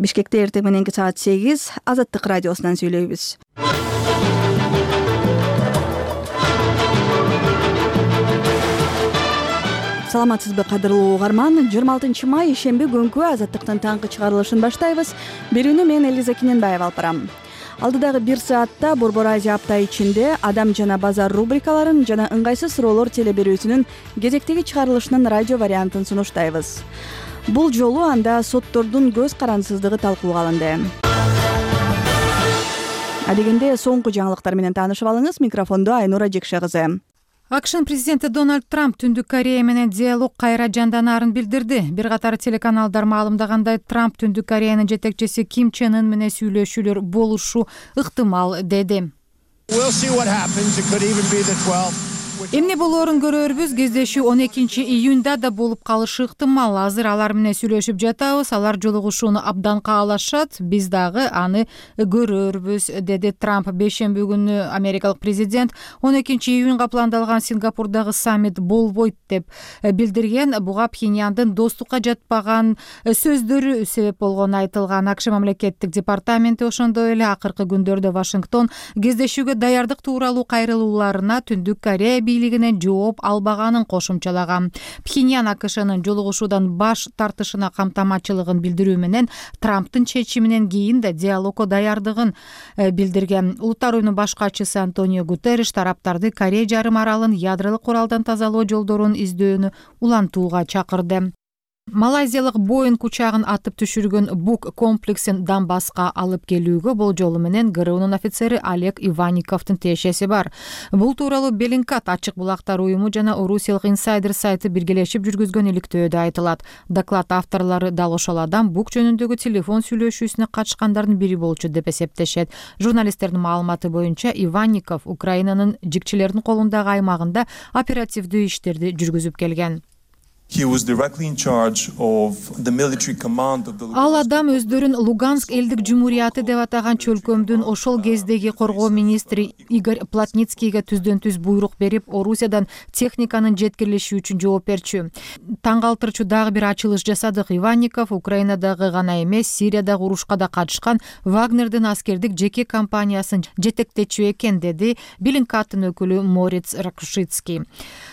Бишкекте эртең мененки саат 8 Азаттык радиосунан сүйлөйбүз. Саламатсызбы кадырлуу угарман? 26 май ишемби күнкү Азаттыктын таңкы чыгарылышын баштайбыз. Берүүнү мен Элиза Кененбаева алып барам. Алдыдагы 1 саатта Борбор Азия апта ичинде адам жана базар рубрикаларын жана ыңгайсыз суроолор телеберүүсүнүн кезектеги чыгарылышынын радио вариантын сунуштайбыз. Бул жолу анда соттордун көз карансыздыгы талкууга алынды. Адегенде соңку жаңылыктар менен таанышып алыңыз. Микрофондо Айнура Жекше кызы. АКШнын президенти Дональд Трамп Түндүк Корея менен диалог кайра жанданарын билдирди. Бир катар телеканалдар маалымдагандай, Трамп Түндүк Кореянын жетекчиси Ким Чен Ын менен сүйлөшүүлөр болушу ыктымал деди. Эмне болоорун көрөрбүз. Кездешүү 12-июнда да болуп калышы ыктымал. Азыр алар менен сүйлөшүп жатабыз. Алар жолугушууну абдан каалашат. Биз дагы аны көрөрбүз, деди Трамп. Бейшемби күнү америкалык президент 12-июнга пландалган Сингапурдагы саммит болбойт деп билдирген. Буга Пхеньяндын достукка жатпаган сөздөрү себеп болгону айтылган. АКШ мамлекеттик департаменти ошондой эле акыркы күндөрдө Вашингтон кездешүүгө даярдык тууралуу кайрылууларына Түндүк Корея бийлигинен жооп албаганын кошумчалаган. Пхеньян АКШнын жолугушуудан баш тартышына камтамачылыгын билдирүү менен Трамптын чечиминен кийин да диалогко даярдыгын билдирген. Улуттар уюмунун баш катчысы Антонио Гутерриш тараптарды Корея жарым аралын ядролук куралдан тазалоо жолдорун издөөнү улантууга чакырды. Малайзиялык Боинг учагын атып түшүргөн Бук комплексин Донбасска алып келүүгө болжолу менен ГРУнун офицери Олег Иванниковдун тиешеси бар. Бул тууралуу Беллингкат ачык булактар уюму жана Орусиялык инсайдер сайты биргелешип жүргүзгөн иликтөөдө айтылат. Доклад авторлору дал ошол адам Бук жөнүндөгү телефон сүйлөшүүсүнө катышкандардын бири болчу деп эсептешет. Журналисттердин маалыматы боюнча Иванников Украинанын жигчилердин колундагы аймагында оперативдүү иштерди жүргүзүп келген. Ал адам өздөрүн Луганск элдик жумурияты деп атаган чөлкөмдүн ошол кездеги коргоо министри Игорь Плотницкийге түздөн-түз буйрук берип, Орусиядан техниканын жеткирилиши үчүн жооп берчү. Таң калтырчу дагы бир ачылыш жасадык. Иванников Украинадагы гана эмес, Сириядагы урушка да катышкан Вагнердин аскердик жеке компаниясын жетектечү экен, деди Беллингкаттын өкүлү Мориц Ракушицкий.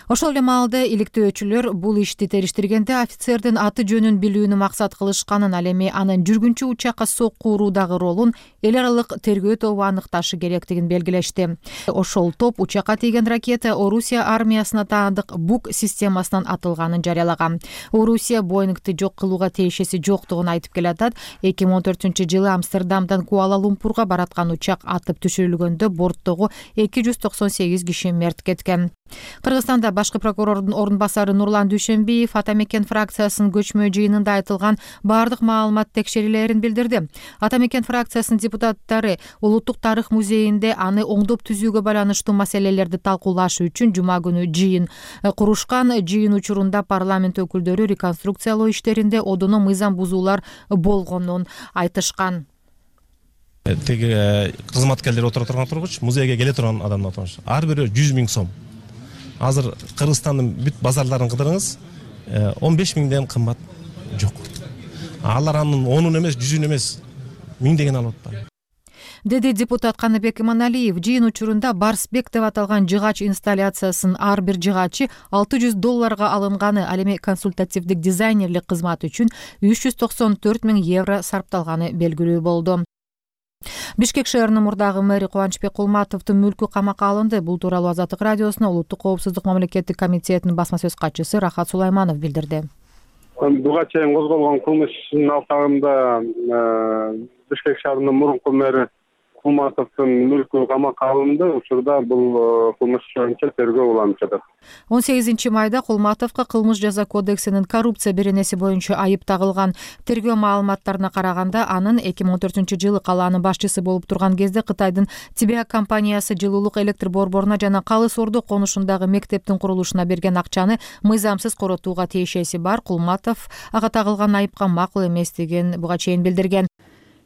Ошол эле маалда иликтөөчүлөр бул ишти териштиргенде офицердин аты жөнүн билүүнү максат кылышканын, ал эми анын жүргүнчү учакка сокку уруудагы ролун эл аралык тергөө тобу аныкташы керектигин белгилешти. Ошол топ учакка тийген ракета Орусия армиясына таандык Бук системасынан атылганын жарыялаган. Орусия Боингти жок кылууга тиешеси жоктугун айтып келатат. 2014-жылы Амстердамдан Куала-Лумпурга бараткан учак атып түшүрүлгөндө борттогу 298 киши мерт кеткен. Кыргызстанда башкы прокурордун орун басары Нурлан Дүйшөнбиев Атамекен фракциясынын көчмө жыйынында айтылган бардык маалымат текшерилерин билдирди. Атамекен фракциясынын депутаттары Улуттук тарых музейинде аны оңдоп түзүүгө байланыштуу маселелерди талкуулаш үчүн жума күнү жыйын курушкан. Жыйын учурунда парламент өкүлдөрү реконструкциялоо иштеринде одоно мыйзам бузуулар болгонун айтышкан. Теги кызматкерлер отура турган тургуч, музейге келе турган адамдар тургуч. Ар бири 100 000 сом. Азыр Кыргызстандын бүт базарларын кыдырыңыз, 15 000ден кымбат жок. Алар анын 10-ун эмес, 100-ун эмес, 1000 алып атпайбы, деди депутат Каныбек Иманалиев. Жыйын учурунда Барсбек деп аталган жыгач инсталляциясын ар бир жыгачы $600 алынганы, ал эми консультативдик дизайнерлик кызмат үчүн 394 000 евро сарпталганы белгилүү болду. Бишкек шаарынын мурдагы мэри Кубанычбек Кулматовдун мүлкү камакка алынды. Бул тууралуу Азаттык радиосуна Улуттук коопсуздук мамлекеттик комитетинин басма сөз катчысы Рахат Сулайманов билдирди. Буга чейин козголгон кылмыштын алкагында Бишкек шаарынын мурунку мэри Кулматовдун мүлкү камакка алынды. Учурда бул кылмыш боюнча тергөө уланып жатат. 18 майда Кулматовго кылмыш жаза кодексинин коррупция беренеси боюнча айып тагылган. Тергөө маалыматтарына караганда, анын 2014-жылы калаанын башчысы болуп турган кезде Кытайдын Тибиак компаниясы жылуулук электр борборуна жана Калыс Ордо конушундагы мектептин курулушуна берген акчаны мыйзамсыз коротууга тиешеси бар. Кулматов ага тагылган айыпка макул эместигин буга чейин билдирген.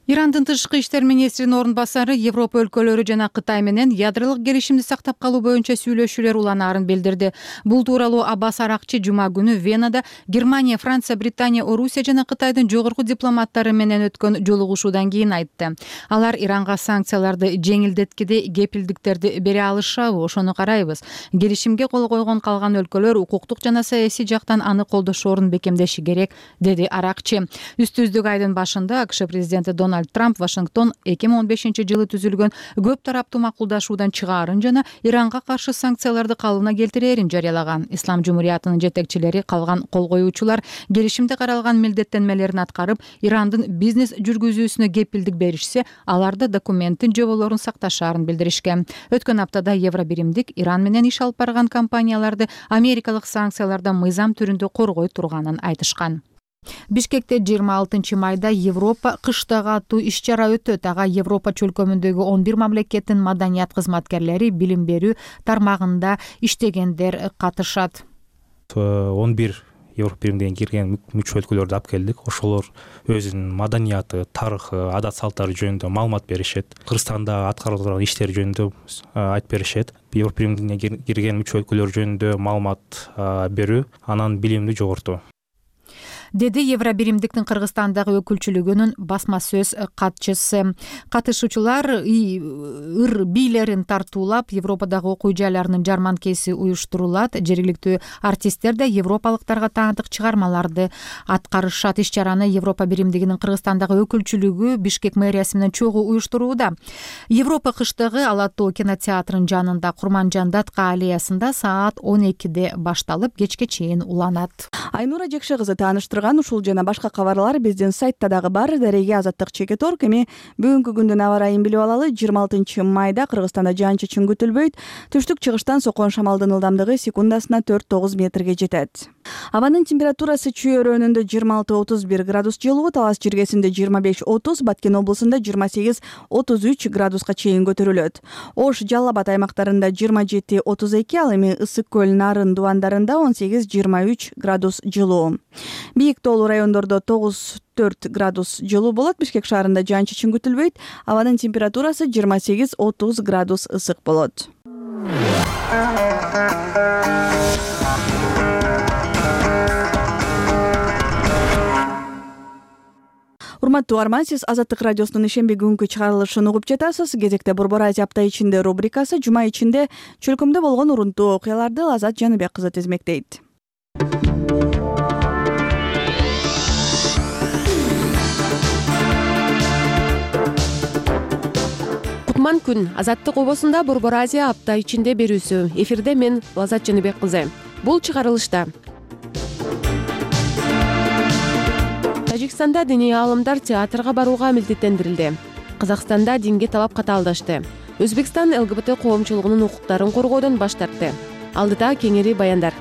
Ирандын тышкы иштер министринин орун басары Европа өлкөлөрү жана Кытай менен ядролук келишимди сактап калуу боюнча сүйлөшүүлөр уланаарын билдирди. Бул тууралуу Аббас Аракчы жума күнү Венада Германия, Франция, Британия, Орусия жана Кытайдын жогорку дипломаттары менен өткөн жолугушуудан кийин айтты. Алар Иранга санкцияларды жеңилдеткиде кепилдиктерди бере алышабы, ошону карайбыз. Келишимге кол койгон калган өлкөлөр укуктук жана саясий жактан аны колдошоорун бекемдеши керек, деди Аракчы. Үстүздүк айдын башында АКШ президенти Дональд Трамп Вашингтон 2015-жылы түзүлгөн көп тараптуу макулдашуудан чыгаарын жана Иранга каршы санкцияларды калыбына келтирээрин жарыялаган. Ислам жумуриятынын жетекчилери калган кол коюучулар келишимде каралган милдеттенмелерин аткарып, Ирандын бизнес жүргүзүүсүнө кепилдик беришсе, аларды документтин жоболорун сакташаарын билдиришкен. Өткөн аптада Евробиримдик Иран менен иш алып барган компанияларды америкалык санкциялардан мыйзам түрүндө коргой турганын айтышкан. Бишкекте 26 майда Европа кыштагы аттуу иш-чара өтөт. Ага Европа чөлкөмүндөгү 11 мамлекеттин маданият кызматкерлери, билим берүү тармагында иштегендер катышат. 11 Европа биримине кирген мүчө өлкөлөрдү алып келдик. Ошолор өзүнүн маданияты, тарыхы, адат салттары жөнүндө маалымат беришет. Кыргызстанда аткарылып турган иштер жөнүндө айтып беришет. Европа биримине кирген мүчө өлкөлөр жөнүндө маалымат берүү анан билимди жогортуу, деди Евробиримдиктин Кыргызстандагы өкүлчүлүгүнүн басма сөз катчысы. Катышуучулар ыр бийлерин тартуулап, Европадагы окуу жайларынын жарманкеси уюштурулат. Жергиликтүү артисттер да европалыктарга таандык чыгармаларды аткарышат. Иш-чараны Европа биримдигинин Кыргызстандагы өкүлчүлүгү Бишкек мэриясы менен чогуу уюштурууда. Европа кыштыгы Ала Тоо кинотеатрынын жанында Курманжан датка аллеясында саат 12-де башталып, кечке чейин уланат. Айнура Жекше кызы тааныштырган ушул жана башка кабарлар биздин сайтта дагы бар. Дареге Азаттык Чекеторг. Эми бүгүнкү күндүн аба ырайын билип алалы. 26 майда Кыргызстанда жаан-чачын күтүлбөйт. Түштүк чыгыштан соккон шамалдын ылдамдыгы секундасына 4-9 метрге жетет. Абанын температурасы Чүй өрөөнүндө 26-31 градус жылуу, Талас жиргесинде 25-30, Баткен облусунда 28-33 градуска чейин көтөрүлөт. Ош, Жалал Абад аймактарында 27-32, ал эми Ысык көл, Нарын дубандарында 18-23 градус жылуу. Бийик тоолуу райондордо 9-4 градус жылуу болот. Бишкек шаарында жаан-чачын күтүлбөйт. Абанын температурасы 28-30 градус ысык болот. Урматтуу угарман, сиз Азаттык радиосунун ишемби күнгү чыгарылышын угуп жатасыз. Кезекте Борбор Азия апта ичинде рубрикасы. Жума ичинде чөлкөмдө болгон урунтуу окуяларды Азат Жаныбек кызы тизмектейт. Кутман күн. Азаттык обосунда Борбор Азия апта ичинде берүүсү. Эфирде мен Азат Жаныбек кызы. Бул чыгарылышта Тажикстанда диний аалымдар театрга барууга милдеттендирилди. Казакстанда динге талап катаалдашты. Өзбекстан ЛГБТ коомчулугунун укуктарын коргоодон баш тартты. Алдыда кеңири баяндар.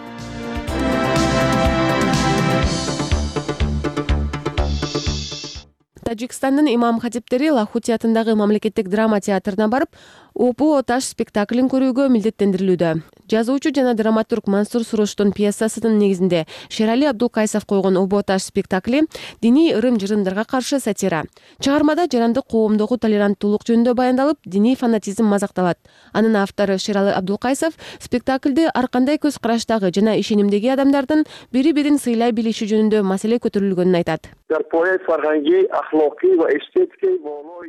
Тажикстандын имам хатиптери Лахути атындагы мамлекеттик драма театрына барып, Опу Оташ спектаклин көрүүгө милдеттендирилүүдө. Жазуучу жана драматург Мансур Суруштун пьесасынын негизинде Шерали Абдулкайсов койгон Опу Оташ спектакли диний ырым-жырымдарга каршы сатира. Чыгармада жарандык коомдогу толеранттуулук жөнүндө баяндалып, диний фанатизм мазакталат. Анын автору Шерали Абдулкайсов спектакльде ар кандай көз караштагы жана ишенимдеги адамдардын бири-бирин сыйлай билиши жөнүндө маселе көтөрүлгөнүн айтат.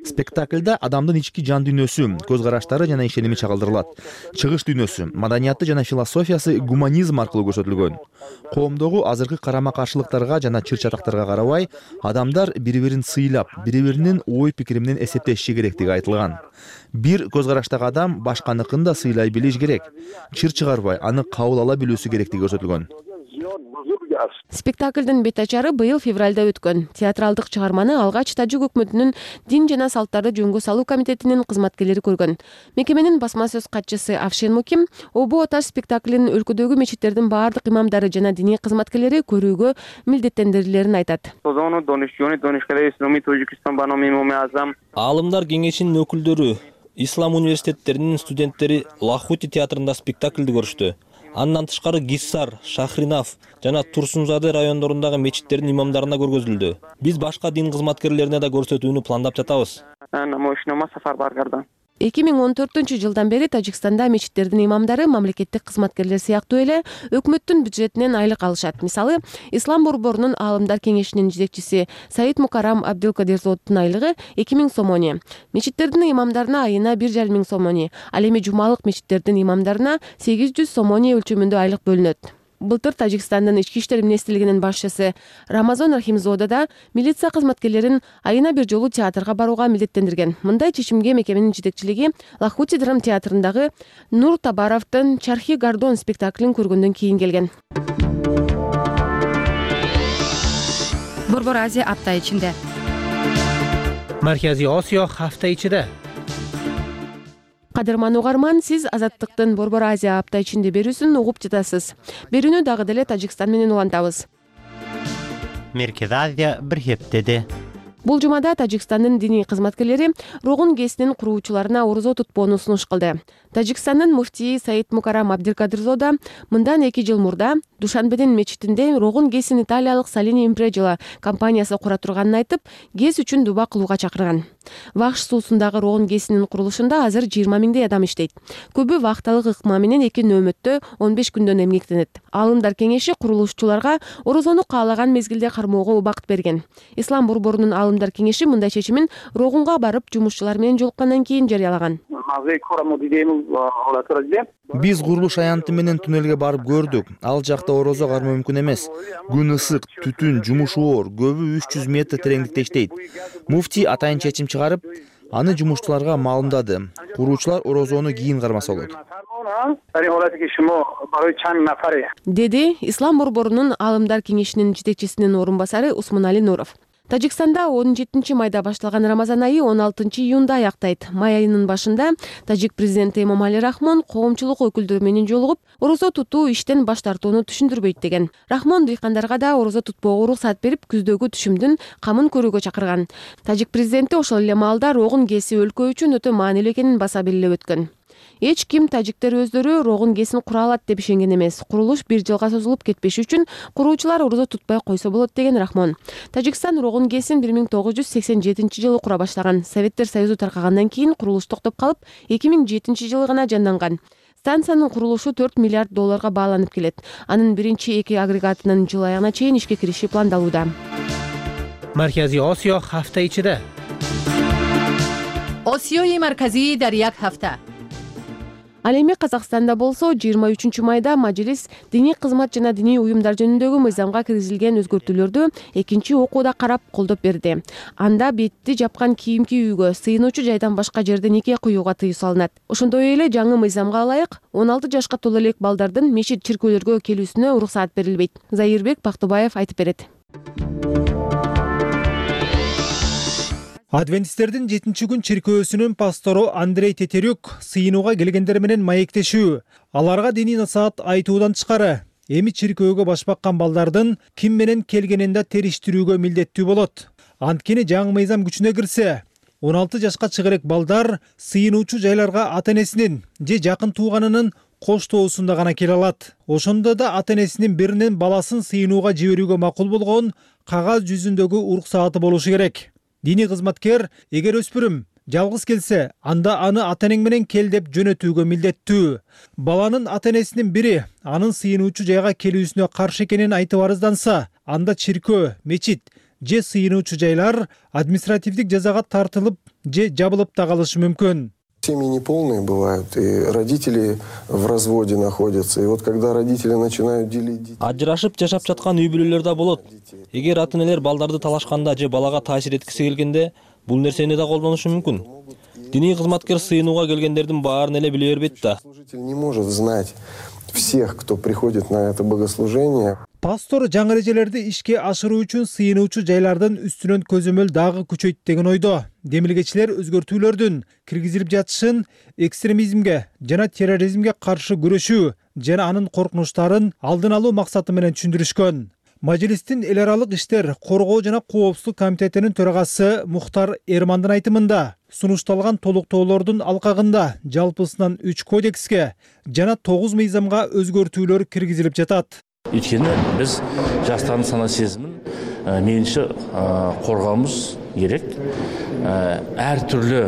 Спектакльда адамдын ички жан дүйнөсү, көз караштары жана ишеними чагылдырылат. Чыгыш дүйнөсү, маданияты жана философиясы гуманизм аркылуу көрсөтүлгөн. Коомдогу азыркы карама-каршылыктарга жана чыр-чатактарга карабай, адамдар бири-бирин сыйлап, бири-биринин ой-пикири менен эсептешиши керектиги айтылган. Бир көз караштагы адам башканыкын да сыйлай билиш керек. Чыр чыгарбай, аны кабыл ала билүүсү керектиги көрсөтүлгөн. Спектаклдын бет ачары быйыл февралда өткөн. Театралдык чыгарманы алгач Тажик өкмөтүнүн дин жана салттарды жөнгө салуу комитетинин кызматкерлери көргөн. Мекеменин басма сөз катчысы Афшин Муким Опу Оташ спектаклин өлкөдөгү мечиттердин баардык имамдары жана диний кызматкерлери көрүүгө милдеттендирилерин айтат. Аалымдар кеңешинин өкүлдөрү, ислам университеттеринин студенттери Лахути театрында спектаклди көрүштү. Андан тышкары Гиссар, Шахринав жана Турсунзаде райондорундагы мечиттердин имамдарына көргөзүлдү. Биз башка дин кызматкерлерине да көрсөтүүнү пландап жатабыз. 2014 бери Тажикстанда мечиттердин имамдары мамлекеттик кызматкерлер сыяктуу эле өкмөттүн бюджетинен айлык алышат. Мисалы, Ислам борборунун аалымдар кеңешинин жетекчиси Саид Мукарам Абдылкадирзоддун айлыгы 2000 сомони, мечиттердин имамдарына айына 1500 сомони, ал эми жумалык мечиттердин имамдарына 800 сомони өлчөмүндө айлык бөлүнөт. Былтыр Тажикстандын ички иштер министрлигинин башчысы Рамазон Рахимзода да милиция кызматкерлерин айына бир жолу театрга барууга милдеттендирген. Мындай чечимге мекеменин жетекчилиги Лахути драм театрындагы Нур Табаровдун Чархи Гордон спектаклин көргөндөн кийин келген. Борбор Азия апта ичинде. Марказий Осиё hafta ichida. Кадырман угарман, сиз Азаттыктын Борбор Азия апта ичинде берүүсүн угуп жатасыз. Берүүнү дагы деле Тажикстан менен улантабыз. Merkez Азия bir heftede. Бул жумада Тажикстандын диний кызматкерлери Рогун ГЭСинин куруучуларына орозо тутпоону сунуш кылды. Тажикстандын муфтии Саид Мукарам Абдылкадирзода мындан 2 жыл мурда Душанбедин мечитинде Рогун ГЭСин италиялык Салини Импреджила компаниясы кура турганын айтып, ГЭС үчүн дуба кылууга чакырган. Вахш суусундагы Рогун ГЭСинин курулушунда азыр 20 миңдей адам иштейт. Көбү вакталык ыкма менен 2 нөөмөттө 15 күндөн эмгектенет. Аалымдар кеңеши курулушчуларга орозону каалаган мезгилде кармоого убакыт берген. Ислам борборунун аалымдар кеңеши мындай чечимин Рогунга барып жумушчулар менен жолуккандан кийин жарыялаган. Биз курулуш аянты менен туннелге барып көрдүк. Ал жакта орозо кармоо мүмкүн эмес. Күн ысык, түтүн, жумуш оор, көбү 300 метр тереңдикте иштейт. Муфтий атайын чечим чыгарып, аны жумушчуларга маалымдады. Куруучулар орозону кийин кармаса болот. Деди Ислам борборунун аалымдар кеңешинин жетекчисинин орун басары Усмунали Нуров. Тажикстанда 17 майда башталган Рамазан айы 16 июнда аяктайт. Май айынын башында тажик президенти Эмомали Рахмон коомчулук өкүлдөрү менен жолугуп, орозо тутуу иштен баш тартууну түшүндүрбөйт деген. Рахмон дыйкандарга да орозо тутпоого уруксат берип, күздөгү түшүмдүн камын көрүүгө чакырган. Тажик президенти ошол эле маалда Рогун ГЭСи өлкө үчүн өтө маанилүү экенин баса белгилеп өткөн. Эч ким тажиктер өздөрү Рогун ГЭСин кура алат деп ишенген эмес. Курулуш 1 жылга созулуп кетпеш үчүн куруучулар орозо тутпай койсо болот деген Рахмон. Тажикстан Рогун ГЭСин 1987 жылы кура баштаган. Советтер Союзу таркагандан кийин курулуш токтоп калып, 2007 жылы гана жанданган. Станциянын курулушу 4 миллиард долларга бааланып келет. Анын биринчи 2 агрегатынын жыл аягына чейин ишке кириши пландалууда. Markaziy Osiyo hafta ichida. Osiyoи марказии дар як ҳафта. Ал эми Казакстанда болсо 23 майда Мажилис диний кызмат жана диний уюмдар жөнүндөгү мыйзамга киргизилген өзгөртүүлөрдү экинчи окууда карап колдоп берди. Анда бетти жапкан кийимки үйгө, сыйынуучу жайдан башка жерде нике куюуга тыюу салынат. Ошондой эле жаңы мыйзамга ылайык 16 жашка толо элек балдардын мечит чиркөөлөргө келүүсүнө уруксаат берилбейт. Заирбек Бактыбаев айтып берет. Адвентисттердин 7-күн чиркөөсүнүн пастору Андрей Тетерюк сыйынууга келгендер менен маектешүү. Аларга диний насаат айтуудан тышкары эми чиркөөгө баш баккан балдардын ким менен келгенин да териштирүүгө милдеттүү болот. Анткени жаңы мыйзам күчүнө кирсе, 16 жашка чыгарек балдар сыйынуучу жайларга ата-энесинин же жакын тууганынын коштоосунда гана келе алат. Ошондо да ата-энесинин биринен баласын сыйынууга жиберүүгө макул болгон кагаз жүзүндөгү уруксааты болушу керек. Диний кызматкер эгер өспүрүм жалгыз келсе, анда аны ата-энең менен кел деп жөнөтүүгө милдеттүү. Баланын ата-энесинин бири анын сыйынуучу жайга келүүсүнө каршы экенин айтып арызданса, анда чиркөө, мечит же сыйынуучу жайлар административдик жазага тартылып же жабылып да калышы мүмкүн. Семьи неполные бывают, и родители в разводе находятся. И вот когда родители начинают делить детей... Ажырашып жашап жаткан үй бүлөлөр да болот. Эгер ата-энелер балдарды талашканда же балага таасир эткиси келгенде, бул нерсени да колдонушу мүмкүн. Диний кызматкер сыйынууга келгендердин баарын эле биле бербейт да. Служитель не может знать всех, кто приходит на это богослужение. Пастор жаңы эрежелерди ишке ашыруу үчүн сыйынуучу жайлардын үстүнөн көзөмөл дагы күчөйт деген ойдо. Демилгечилер өзгөртүүлөрдүн киргизилип жатышын экстремизмге жана терроризмге каршы күрөшүү жана анын коркунучтарын алдын алуу максаты менен түшүндүрүшкөн. Мажилистин эл аралык иштер коргоо жана коопсуздук комитетинин төрагасы Мухтар Эрмандын айтымында, сунушталган толуктоолордун алкагында жалпысынан 3 кодекске жана 9 мыйзамга өзгөртүүлөр киргизилип жатат. Өйткені біз жастардың сана сезімін мейлінше қорғауымыз керек. Әр түрлі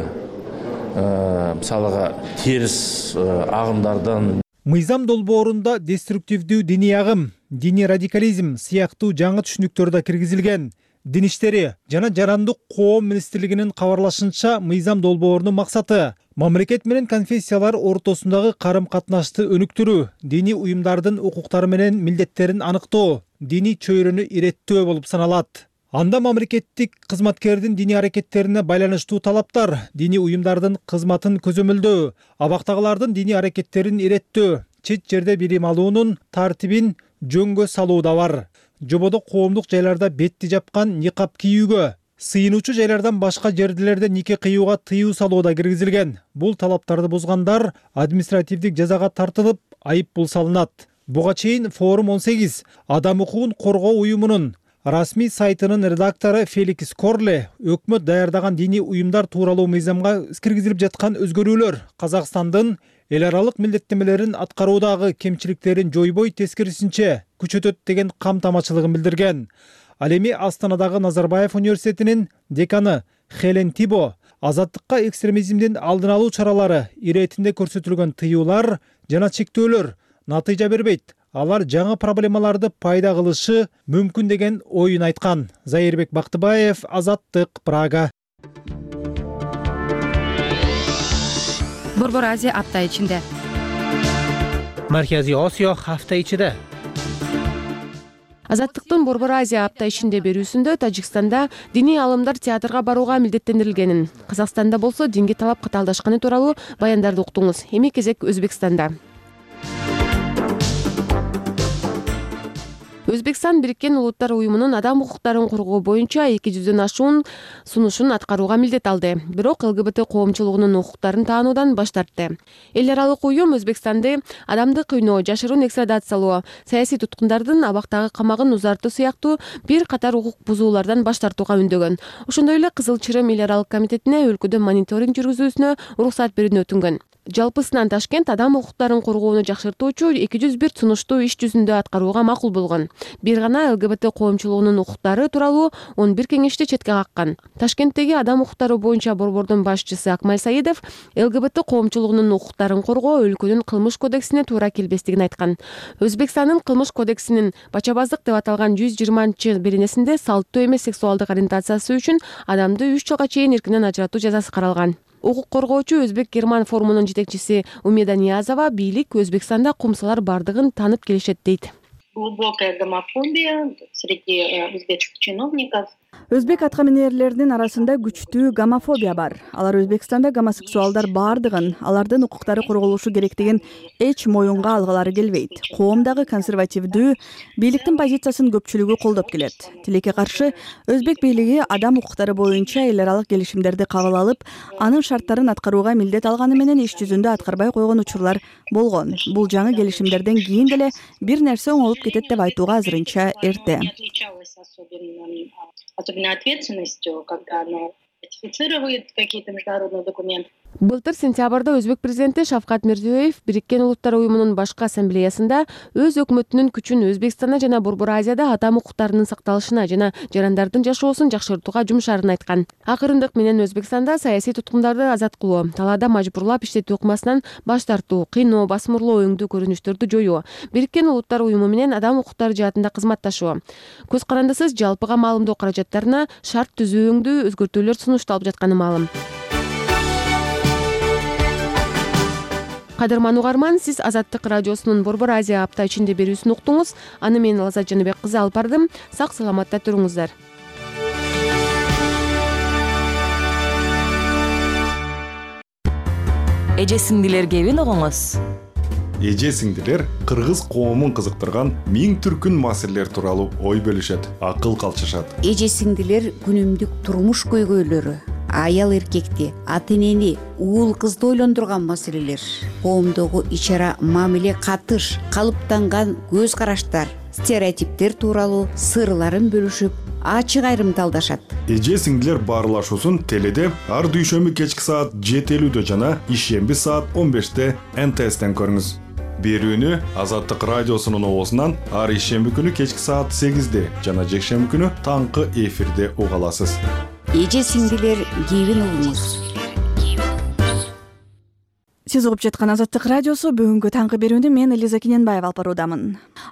мысалыға теріс ағымдардан мыйзам долбоорунда деструктивдүү диний агым, диний радикализм сыяктуу жаңы түшүнүктөр да киргизилген. Дин иштери жана жарандык коом министрлигинин кабарлашынча, мыйзам долбоорунун максаты мамлекет менен конфессиялар ортосундагы карым-катнашты өнүктүрүү, диний уюмдардын укуктары менен милдеттерин аныктоо, диний чөйрөнү иреттөө болуп саналат. Анда мамлекеттик кызматкердин диний аракеттерине байланыштуу талаптар, диний уюмдардын кызматын көзөмөлдөө, абактагылардын диний аракеттерин иреттөө, чет жерде билим алуунун тартибин жөнгө салуу да бар. Жободо коомдук жайларда бетти жапкан никап кийүүгө, сыйынуучу жайлардан башка жердилерде нике кыюуга тыюу салуу да киргизилген. Бул талаптарды бузгандар административдик жазага тартылып, айып пул салынат. Буга чейин Форум 18 адам укугун коргоо уюмунун расмий сайтынын редактору Феликс Корле өкмөт даярдаган диний уюмдар тууралуу мыйзамга киргизилип жаткан өзгөрүүлөр Казакстандын эл аралык милдеттенмелерин аткаруудагы кемчиликтерин жойбой, тескерисинче күчөтөт деген камтамачылыгын билдирген. Ал эми Астанадагы Назарбаев университетинин деканы Хелен Тибо азаттыкка экстремизмдин алдын алуу чаралары иретинде көрсөтүлгөн тыюулар жана чектөөлөр натыйжа бербейт. Алар жаңы проблемаларды пайда кылышы мүмкүн деген оюн айткан. Зайырбек Бактыбаев, Азаттык, Прага. Борбор Азия апта ичинде. Марказий Осиё hafta ichida. Азаттыктын Борбор Азия апта ичинде берүүсүндө Тажикстанда диний алымдар театрга барууга милдеттендирилгенин, Казакстанда болсо динге талап катаалдашканы тууралуу баяндарды уктуңуз. Эми кезек Өзбекстанда. Өзбекстан Бириккен Улуттар уюмунун адам укуктарын коргоо боюнча 200дөн ашуун сунушун аткарууга милдет алды. Бирок ЛГБТ коомчулугунун укуктарын таануудан баш тартты. Эл аралык уюм Өзбекстанды адамды кыйноо, жашыруун экстрадациялоо, саясий туткундардын абактагы камагын узартуу сыяктуу бир катар укук бузуулардан баш тартууга үндөгөн. Ошондой эле Кызыл Чырым эл аралык комитетине өлкөдө мониторинг жүргүзүүсүнө уруксат берүүнү өтүнгөн. Жалпысынан Ташкент адам укуктарын коргоону жакшыртуучу 201 сунушту иш жүзүндө аткарууга макул болгон. Бир гана ЛГБТ коомчулугунун укуктары тууралуу 11 кеңешти четке каккан. Ташкенттеги адам укуктары боюнча борбордун башчысы Акмал Саидов ЛГБТ коомчулугунун укуктарын коргоо өлкөнүн кылмыш кодексине туура келбестигин айткан. Өзбекстандын кылмыш кодексинин бачабаздык деп аталган 120-беренесинде салттуу эмес сексуалдык ориентациясы үчүн адамды 3 жылга чейин эркинен ажыратуу жазасы каралган. Укук коргоочу Өзбек-Герман форумунун жетекчиси Умеда Ниязова бийлик Өзбекстанда кумсалар бардыгын таанып келишет дейт. Глубокая гомофобия среди узбекских чиновников. Өзбек аткаминерлеринин арасында күчтүү гомофобия бар. Алар Өзбекстанда гомосексуалдар бардыгын, алардын укуктары корголушу керектигин эч моюнга алгылары келбейт. Коомдагы консервативдүү бийликтин позициясын көпчүлүгү колдоп келет. Тилекке каршы Өзбек бийлиги адам укуктары боюнча эл аралык келишимдерди кабыл алып, анын шарттарын аткарууга милдет алганы менен иш жүзүндө аткарбай койгон учурлар болгон. Бул жаңы келишимдерден кийин деле бир нерсе оңолуп кетет деп айтууга азырынча эрте. Особенно ответственностью, когда она ратифицирует какие-то международные документы. Былтыр сентябрда Өзбек президенти Шавкат Мирзиёев Бириккен Улуттар уюмунун башкы ассамблеясында өз өкмөтүнүн күчүн Өзбекстанда жана Борбор Азияда адам укуктарынын сакталышына жана жарандардын жашоосун жакшыртууга жумшаарын айткан. Акырындык менен Өзбекстанда саясий туткундарды азат кылуу, талаада мажбурлап иштетүү ыкмасынан баш тартуу, кыйноо, басмырлоо өңдүү көрүнүштөрдү жоюу, Бириккен Улуттар уюму менен адам укуктары жаатында кызматташуу, көз карандысыз жалпыга маалымдоо каражаттарына шарт түзүү өңдүү өзгөртүүлөр сунушталып жатканы маалым. Кадырман угарман, сиз Азаттык радиосунун Борбор Азия апта ичинде берүүсүн уктуңуз. Аны мен Лазат Жаныбек кызы алып бардым. Сак саламатта туруңуздар. Эже сиңдилер кебин угуңуз. Эже сиңдилер кыргыз коомун кызыктырган миң түркүн маселелер тууралуу ой бөлүшөт, акыл калчышат. Эже сиңдилер күнүмдүк турмуш көйгөйлөрү, аял эркекти, ата энени, уул кызды ойлондурган маселелер, коомдогу ич-ара мамиле, катыш, калыптанган көз караштар, стереотиптер тууралуу сырларын бөлүшүп, ачык айрымталдашат. Эже сиңдилер баарлашуусун теледе ар дүйшөмбү кечки саат 7:50 жана ишемби саат 15 НТСтен көрүңүз. Берүүнү Азаттык радиосунун обосунан ар ишемби күнү кечки саат 8 жана жекшемби күнү таңкы эфирде уга аласыз. Эже сиңдилер кебин угуңуз. Сиз угуп жаткан Азаттык радиосу бүгүнкү таңкы берүүнү мен Элиза Кененбаева алып баруудамын.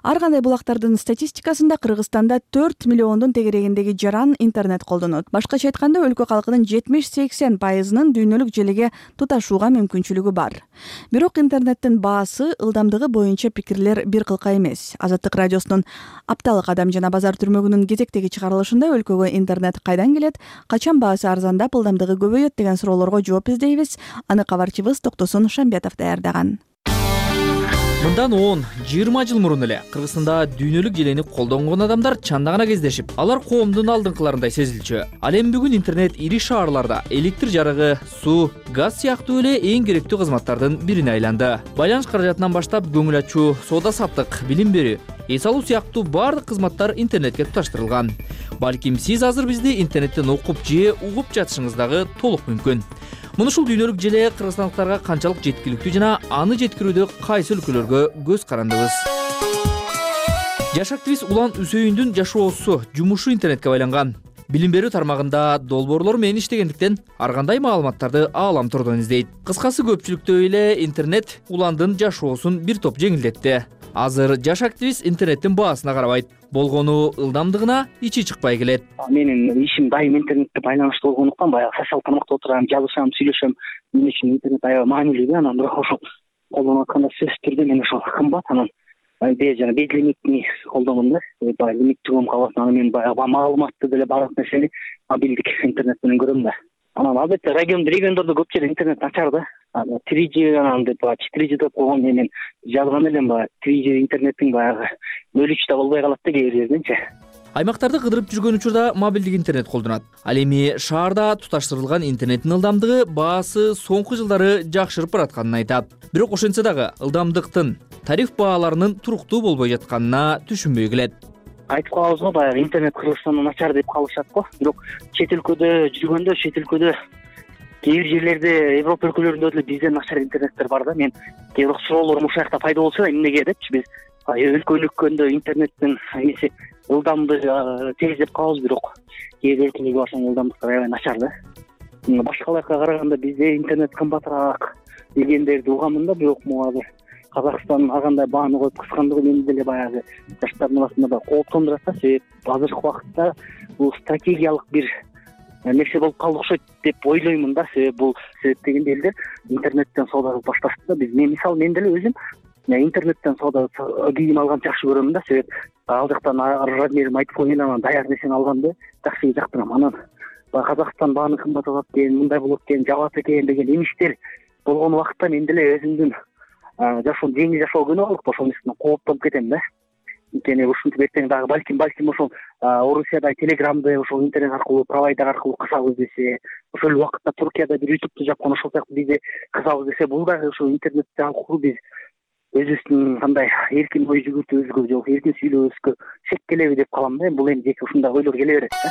Ар кандай булактардын статистикасында Кыргызстанда 4 миллиондун тегерегиндеги жаран интернет колдонот. Башкача айтканда, өлкө калкынын 70-80% дүйнөлүк желеге туташууга мүмкүнчүлүгү бар. Бирок интернеттин баасы, ылдамдыгы боюнча пикирлер бир кылка эмес. Азаттык радиосунун апталык адам жана базар түрмөгүнүн кезектеги чыгарылышында өлкөгө интернет кайдан келет, качан баасы арзандап, ылдамдыгы көбөйөт деген суроолорго жооп издейбиз. Аны кабарчыбыз Токтосун Шамбетов даярдаган. Мындан 10-20 жыл мурун эле Кыргызстанда дүйнөлүк желени колдонгон адамдар чанда гана кездешип, алар коомдун алдыңкыларындай сезилчү. Ал эми бүгүн интернет ири шаарларда электр жарыгы, суу, газ сыяктуу эле эң керектүү кызматтардын бирине айланды. Байланыш каражатынан баштап көңүл ачуу, соода саттык, билим берүү, эс алуу сыяктуу баардык кызматтар интернетке туташтырылган. Балким сиз азыр бизди интернеттен окуп же угуп жатышыңыз дагы толук мүмкүн. Муну ушул дүйнөлүк желе кыргызстандыктарга канчалык жеткиликтүү жана аны жеткирүүдө кайсы өлкөлөргө көз карандыбыз. Жаш активист Улан Үсөйүндүн жашоосу, жумушу интернетке байланган. Билим берүү тармагында долбоорлор менен иштегендиктен ар кандай маалыматтарды аалам турдон издейт. Кыскасы, көпчүлүктөй эле интернет Уландын жашоосун бир топ жеңилдетти. Азыр жаш активист интернеттин баасына карабайт, болгону ылдамдыгына ичи чыкпай келет. Менин ишим дайым интернетке байланыштуу болгондуктан баягы социал тармакта отурам, жазышам, сүйлөшөм. Мен үчүн интернет аябай маанилүү да. Анан бирок ошол колдонуп атканда сөзсүз түрдө мен ошол кымбат. Анан жана безлимитни колдонгон да. Баягы лимиттүү калат. Анан мен баягы маалыматты деле баардык нерсени мобилдик интернет менен көрөм да. Анан албетте региондордо көп жерде интернет начар да. 3G анан деп 4G деп койгон мен жазган элем, 3G интернеттин баягы бөлүчү да болбой калат да кээ бир жерденчи. Аймактарды кыдырып жүргөн учурда мобилдик интернет колдонот. Ал эми шаарда туташтырылган интернеттин ылдамдыгы, баасы соңку жылдары жакшырып баратканын айтат. Бирок ошентсе дагы ылдамдыктын, тариф бааларынын туруктуу болбой жатканына түшүнбөй келет. Айтып калабыз го, баягы интернет Кыргызстанда начар деп калышат го. Бирок чет өлкөдө жүргөндө, чет өлкөдө кээ бир жерлерде, Европа өлкөлөрүндө деле бизден начар интернеттер бар да. Мен кээ бир суроолорум ушул жакта пайда болсо да, эмнеге депчи, биз өлкө өнүккөндө интернеттин эмеси ылдамдыгы тез деп калабыз, бирок кээ бир өлкөлөргө барсаң ылдамдыктар аябай начар да. Башкаларга караганда бизде интернет кымбатыраак дегендерди угамын да, бирок могу азыр Казакстан ар кандай бааны коюп кыскандыгы мени деле баягы жаштардын арасында баягы кооптондурат да. Себеп азыркы убакытта бул стратегиялык бир нерсе болуп калды окшойт деп ойлоймун да. Себеп бул себептегенде элдер интернеттен соода кылып башташты да. Мен мисалы, мен деле өзүм интернеттен соода кийим алганды жакшы көрөм да. Себеп ал жактан размерим айтып коюн, анан даяр нерсени алганды жакшы жактырам. Анан Казакстан бааны кымбаттап экен, мындай болот экен, жабат экен деген эмиштер болгон убакытта мен деле өзүмдүн жашоом жеңил жашоо күнөө алып ошол нерседен кооптонуп кетем да. Анткени ушинтип эртең дагы балким ошол Орусияда телеграмды ошол интернет аркылуу, провайдер аркылуу кысабыз десе, ошол убакытта Туркияда бир ютубту жапкан, ошол сыяктуу бизде кысабыз десе, бул дагы ошол интернет аркылуу биз өзүбүздүн кандай эркин ой жүгүртүүбүзгө же эркин сүйлөбүзгө шек келеби деп калам да. Бул эми жеке ушундай ойлор келе берет да.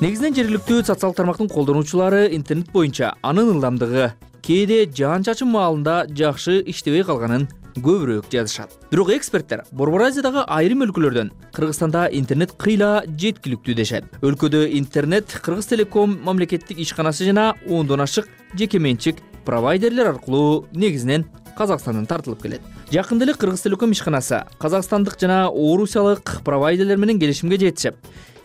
Негизинен жергиликтүү социалдык тармактын колдонуучулары интернет боюнча анын ылдамдыгы кээде жаан-чачын маалында жакшы иштебей калганын көбүрөөк жазышат. Бирок эксперттер Борбор Азиядагы айрым өлкөлөрдөн Кыргызстанда интернет кыйла жеткиликтүү дешет. Өлкөдө интернет Кыргыз Телеком мамлекеттик ишканасы жана 10дон ашык жеке менчик провайдерлер аркылуу негизинен Казакстандан тартылып келет. Жакында эле Кыргыз Телеком ишканасы казакстандык жана орусиялык провайдерлер менен келишимге жетишип,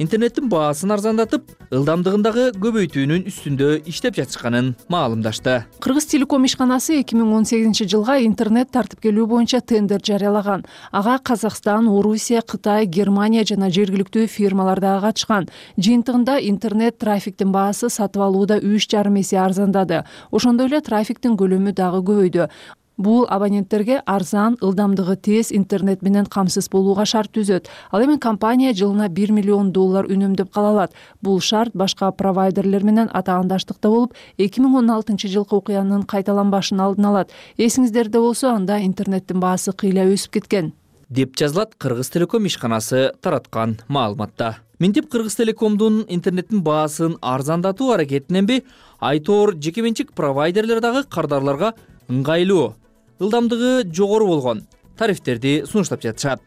интернеттин баасын арзандатып, ылдамдыгындагы көбөйтүүнүн үстүндө иштеп жатышканын маалымдашты. Кыргыз Телеком ишканасы 2018-жылга интернет тартып келүү боюнча тендер жарыялаган. Ага Казакстан, Орусия, Кытай, Германия жана жергиликтүү фирмалар дагы катышкан. Жыйынтыгында интернет трафиктин баасы сатып алууда 3,5 эсе арзандады. Ошондой эле трафиктин көлөмү дагы көбөйдү. Бул абоненттерге арзан, ылдамдыгы тез интернет менен камсыз болууга шарт түзөт. Ал эми компания жылына $1 миллион үнөмдөп кала алат. Бул шарт башка провайдерлер менен атаандаштыкта болуп, 2016-жылкы окуянын кайталанбашын алдын алат. Эсиңиздерде болсо, анда интернеттин баасы кыйла өсүп кеткен. деп жазылат Кыргыз Телеком ишканасы тараткан маалыматта. Минтип Кыргыз Телекомдун интернеттин баасын арзандатуу аракетиненби айтоор жекеменчик провайдерлер дагы кардарларга ыңгайлуу, ылдамдыгы жогору болгон тарифтерди сунуштап жатышат.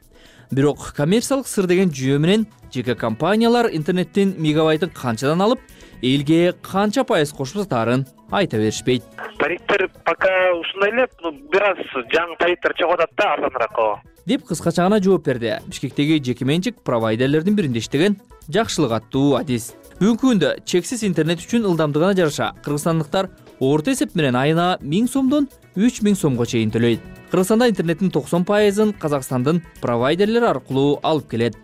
Бирок коммерциялык сыр деген жүйө менен жеке компаниялар интернеттин мегабайтын канчадан алып, элге канча пайыз кошуп сатаарын айта беришпейт. Тарифтер пока ушундай эле, бир аз жаңы тарифтер чыгып атат да, арзаныраак деп кыскача гана жооп берди Бишкектеги жекеменчик провайдерлердин биринде иштеген Жакшылык аттуу Адис. Бүгүнкү күндө чексиз интернет үчүн ылдамдыгына жараша кыргызстандыктар орто эсеп менен айына 1000 сомдон 3000 сомго чейин төлөйт. Кыргызстанда интернеттин 90%-ын Казакстандын провайдерлери аркылуу алып келет.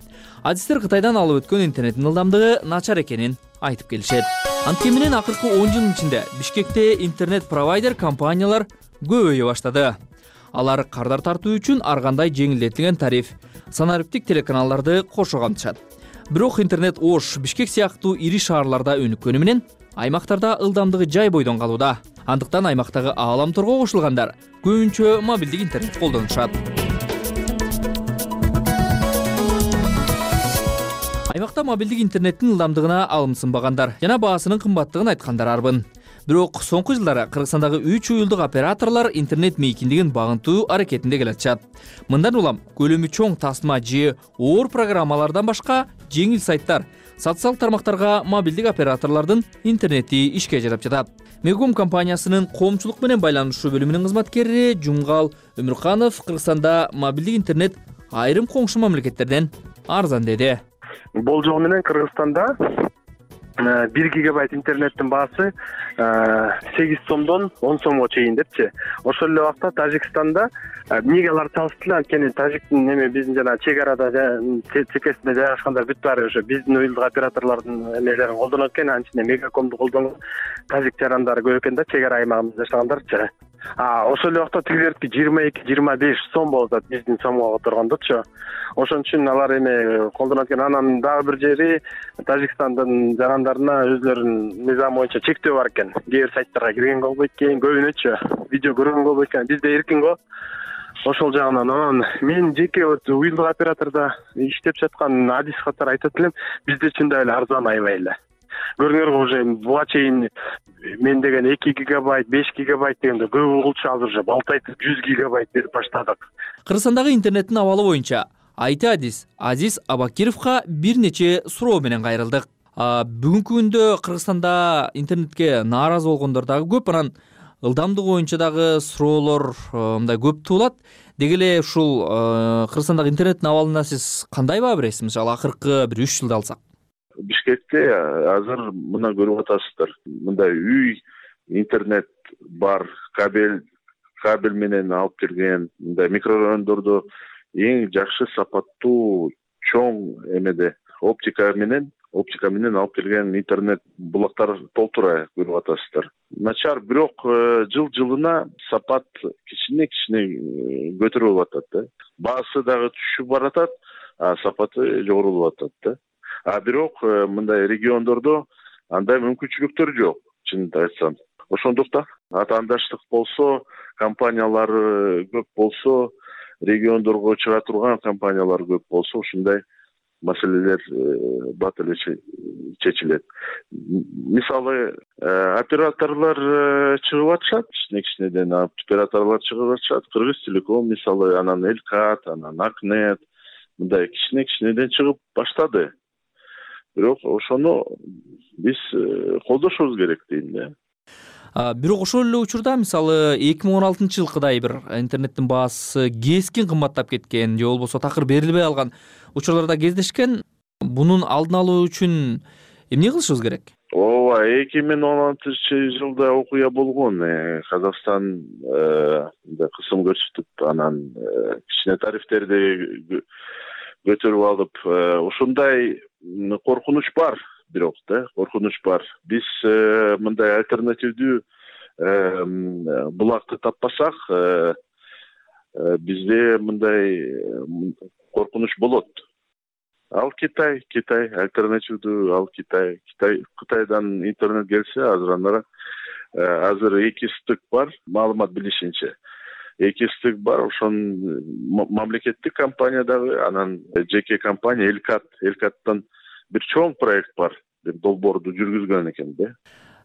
Адистер Кытайдан алып өткөн интернеттин ылдамдыгы начар экенин айтып келишет. Анткени менен акыркы 10 жылдын ичинде Бишкекте интернет провайдер компаниялар көбөйө баштады. Алар кардар тартуу үчүн ар кандай жеңилдетилген тариф, санариптик телеканалдарды кошо камтышат. Бирок интернет Ош, Бишкек сыяктуу ири шаарларда өнүккөнү менен аймактарда ылдамдыгы жай бойдон калууда. Андыктан аймактагы ааламторго кошулгандар көбүнчө мобилдик интернет колдонушат. Аймакта мобилдик интернеттин ылдамдыгына алым сынбагандар жана баасынын кымбаттыгын айткандар арбын. Бирок соңку жылдары Кыргызстандагы 3 уюлдук операторлор интернет мейкиндигин багынтуу аракетинде келатышат. Мындан улам көлөмү чоң тасма же оор программалардан башка жеңил сайттар, социалдык тармактарга мобилдик операторлордун интернети ишке жарап жатат. Мегком компаниясынын коомчулук менен байланышуу бөлүмүнүн кызматкери Жумгал Өмүрканов Кыргызстанда мобилдик интернет айрым коңшу мамлекеттерден арзан деди. Болжол менен Кыргызстанда 1 гигабайт интернеттин баасы 8 сомдон 10 сомго чейин депчи. Ошол эле убакта Тажикстанда эмнеге алар салыштылар, анткени Тажиктин биздин жана чек арада чекесинде жайгашкандар бүт баары ошо биздин уюлдук операторлордун эмелерин колдонот экен, анын ичинде Мегакомду колдонгон тажик жарандары көп экен да, чек ара аймагында жашагандарчы. Ошол эле убакта тигилердики 22-25 сом болуп атат биздин сомго которгондочу. Ошон үчүн алар эме колдонот экен. Анан дагы бир жери Тажикстандын жарандарына өзлөрүнүн мыйзамы боюнча чектөө бар экен. Кээ бир сайттарга киргенге болбойт экен, көбүнөчү видео көргөнгө болбойт экен. Бизде эркин го. Ошол жагынан анан мен жеке уюлдук оператордо иштеп жаткан Адис катары айтат элем, бизде чындап эле арзан аябай эле. Көрүңөр уже буга чейин мен деген 2 гигабайт, 5 гигабайт дегенде көп угулчу азыр уже балтайтып 100 гигабайт берип баштадык. Кыргызстандагы интернеттин абалы боюнча Айти Азиз Абакировго бир нече суроо менен кайрылдык. Бүгүнкү күндө Кыргызстанда интернетке нааразы болгондор дагы көп, анан ылдамдыгы боюнча дагы суроолор мындай көп туулат. Деги эле ушул Кыргызстандагы интернеттин абалына сиз кандай баа бересиз? Мисалы акыркы бир 3 жылды алсак. Бишкекте азыр мына көрүп атасыздар. Мындай үй интернет бар, кабель менен алып келген, мындай микрорайондордо эң жакшы сапаттуу чоң эмеде оптика менен алып келген интернет булактар толтура көрүп атасыздар. Начар, бирок жыл жылына сапат кичине көтөрүлүп атат да. Баасы дагы түшүп баратат, сапаты жогорулуп атат да. Бирок мындай региондордо андай мүмкүнчүлүктөр жок, чынын айтсам. Ошондуктан атаандаштык болсо, компаниялары көп болсо, региондорго чыга турган компаниялар көп болсо, ушундай маселелер бат эле чечилет. Мисалы, операторлор чыгып атышат, кичинеден операторлор чыгып атышат. Кыргыз Телеком мисалы, анан Элкат, анан Акнет, мындай кичинеден чыгып баштады. Бирок ошону биз колдошубуз керек дейм да. Бирок ошол эле учурда мисалы 2016-жылкыдай бир интернеттин баасы кескин кымбаттап кеткен же болбосо такыр берилбей калган учурларда кездешкен. Бунун алдын алуу үчүн эмне кылышыбыз керек? Ооба, 2016-жылда окуя болгон. Казакстан кысым көрсөтүп, анан кичине тарифтерди көтөрүп алып, ушундай коркунуч бар. Бирок да, коркунуч бар. Биз мындай альтернативдүү булакты таппасак, бизде мындай коркунуч болот. Ал Китай альтернативдүү, ал Кытайдан интернет келсе, азыр 2 стык бар, маалымат билишинче. экистик бар. Ошон мамлекеттик компания дагы, анан жеке компания Элкаттан бир чоң проект бар. Долбоорду жүргүзгөн экен да.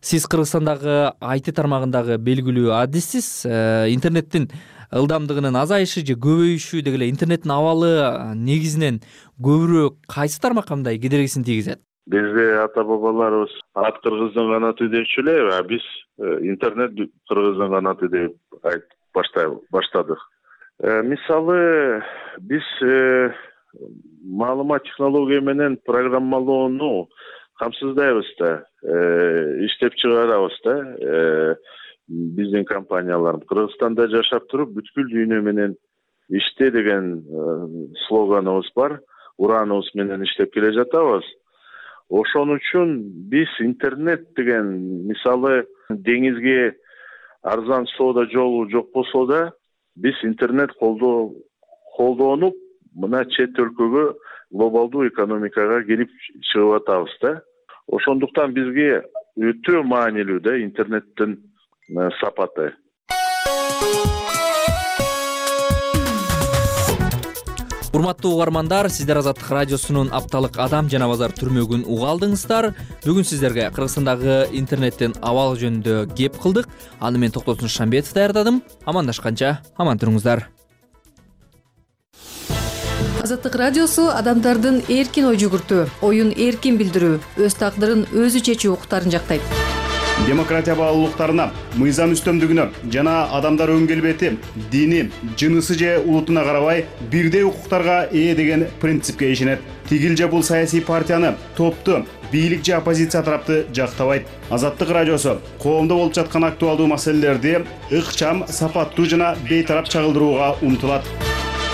Сиз Кыргызстандагы IT тармагындагы белгилүү адиссиз. Интернеттин ылдамдыгынын азайышы же көбөйүшү деги эле интернеттин абалы негизинен көбүрөөк кайсы тармакка мындай кедергисин тийгизет? Бизде ата-бабаларыбыз ат кыргыздын канаты депчү эле, а биз интернет кыргыздын канаты деп айтып баштадык. Мисалы, биз маалымат технология менен программалоону камсыздайбыз да, иштеп чыгарабыз да. Биздин компаниялар Кыргызстанда жашап туруп бүткүл дүйнө менен иште деген слоганыбыз бар. Ураныбыз менен иштеп келе жатабыз. Ошон үчүн биз интернет деген, мисалы, деңизге арзан соода жолу жок болсо да, биз интернет колдонуп мына чет өлкөгө, глобалдуу экономикага келип чыгып атабыз да. Ошондуктан бизге өтө маанилүү да интернеттин сапаты. Урматтуу угармандар, сиздер Азаттык радиосунун апталык адам жана базар түрмөгүн уга алдыңыздар. Бүгүн сиздерге Кыргызстандагы интернеттин абалы жөнүндө кеп кылдык. Аны мен Токтосун Шамбетов даярдадым. Амандашканча аман туруңуздар. Азаттык радиосу адамдардын эркин ой жүгүртүү, оюн эркин билдирүү, өз тагдырын өзү чечүү укуктарын жактайт. Демократия баалуулуктарына, мыйзам үстөмдүгүнө жана адамдар өн келбети, дини, жынысы же улутуна карабай бирдей укуктарга ээ деген принципке ишенет. Тигил же бул саясий партияны, топту, бийлик же оппозиция тарапты жактабайт. Азаттык радиосу коомдо болуп жаткан актуалдуу маселелерди ыкчам, сапаттуу жана бейтарап чагылдырууга умтулат.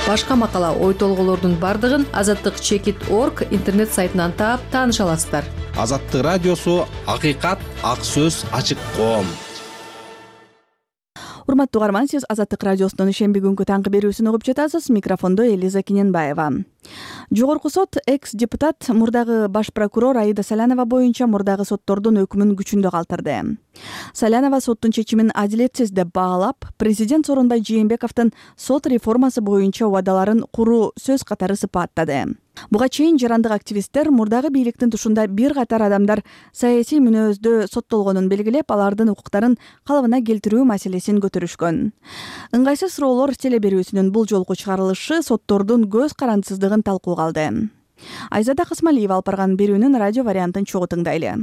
Башка макала, ой толголордун бардыгын azattik.org интернет сайтынан таап тааныша аласыздар. Азаттык радиосу акыйкат, ак сөз, ачык коом. Урматтуу угарман, сиз Азаттык радиосунун ишемби күнгү таңкы берүүсүн угуп жатасыз. Микрофондо Элиза Киненбаева. Жогорку сот экс-депутат мурдагы баш прокурор Аида Салянова боюнча мурдагы соттордун өкүмүн күчүндө калтырды. Салянова соттун чечимин адилетсиз деп баалап, президент Сооронбай Жээнбековдун сот реформасы боюнча убадаларын куруу сөз катары сыпаттады. Буга чейин жарандык активисттер мурдагы бийликтин тушунда бир катар адамдар саясий мүнөздө соттолгонун белгилеп, алардын укуктарын калыбына келтирүү маселесин көтөрүшкөн. Ыңгайсыз суроолор теле берүүсүнүн бул жолку чыгарылышы соттордун көз карандысыздыгын талкууга алды. Айзада Касмалиева алып барган берүүнүн радио вариантын чогуу тыңдайлы.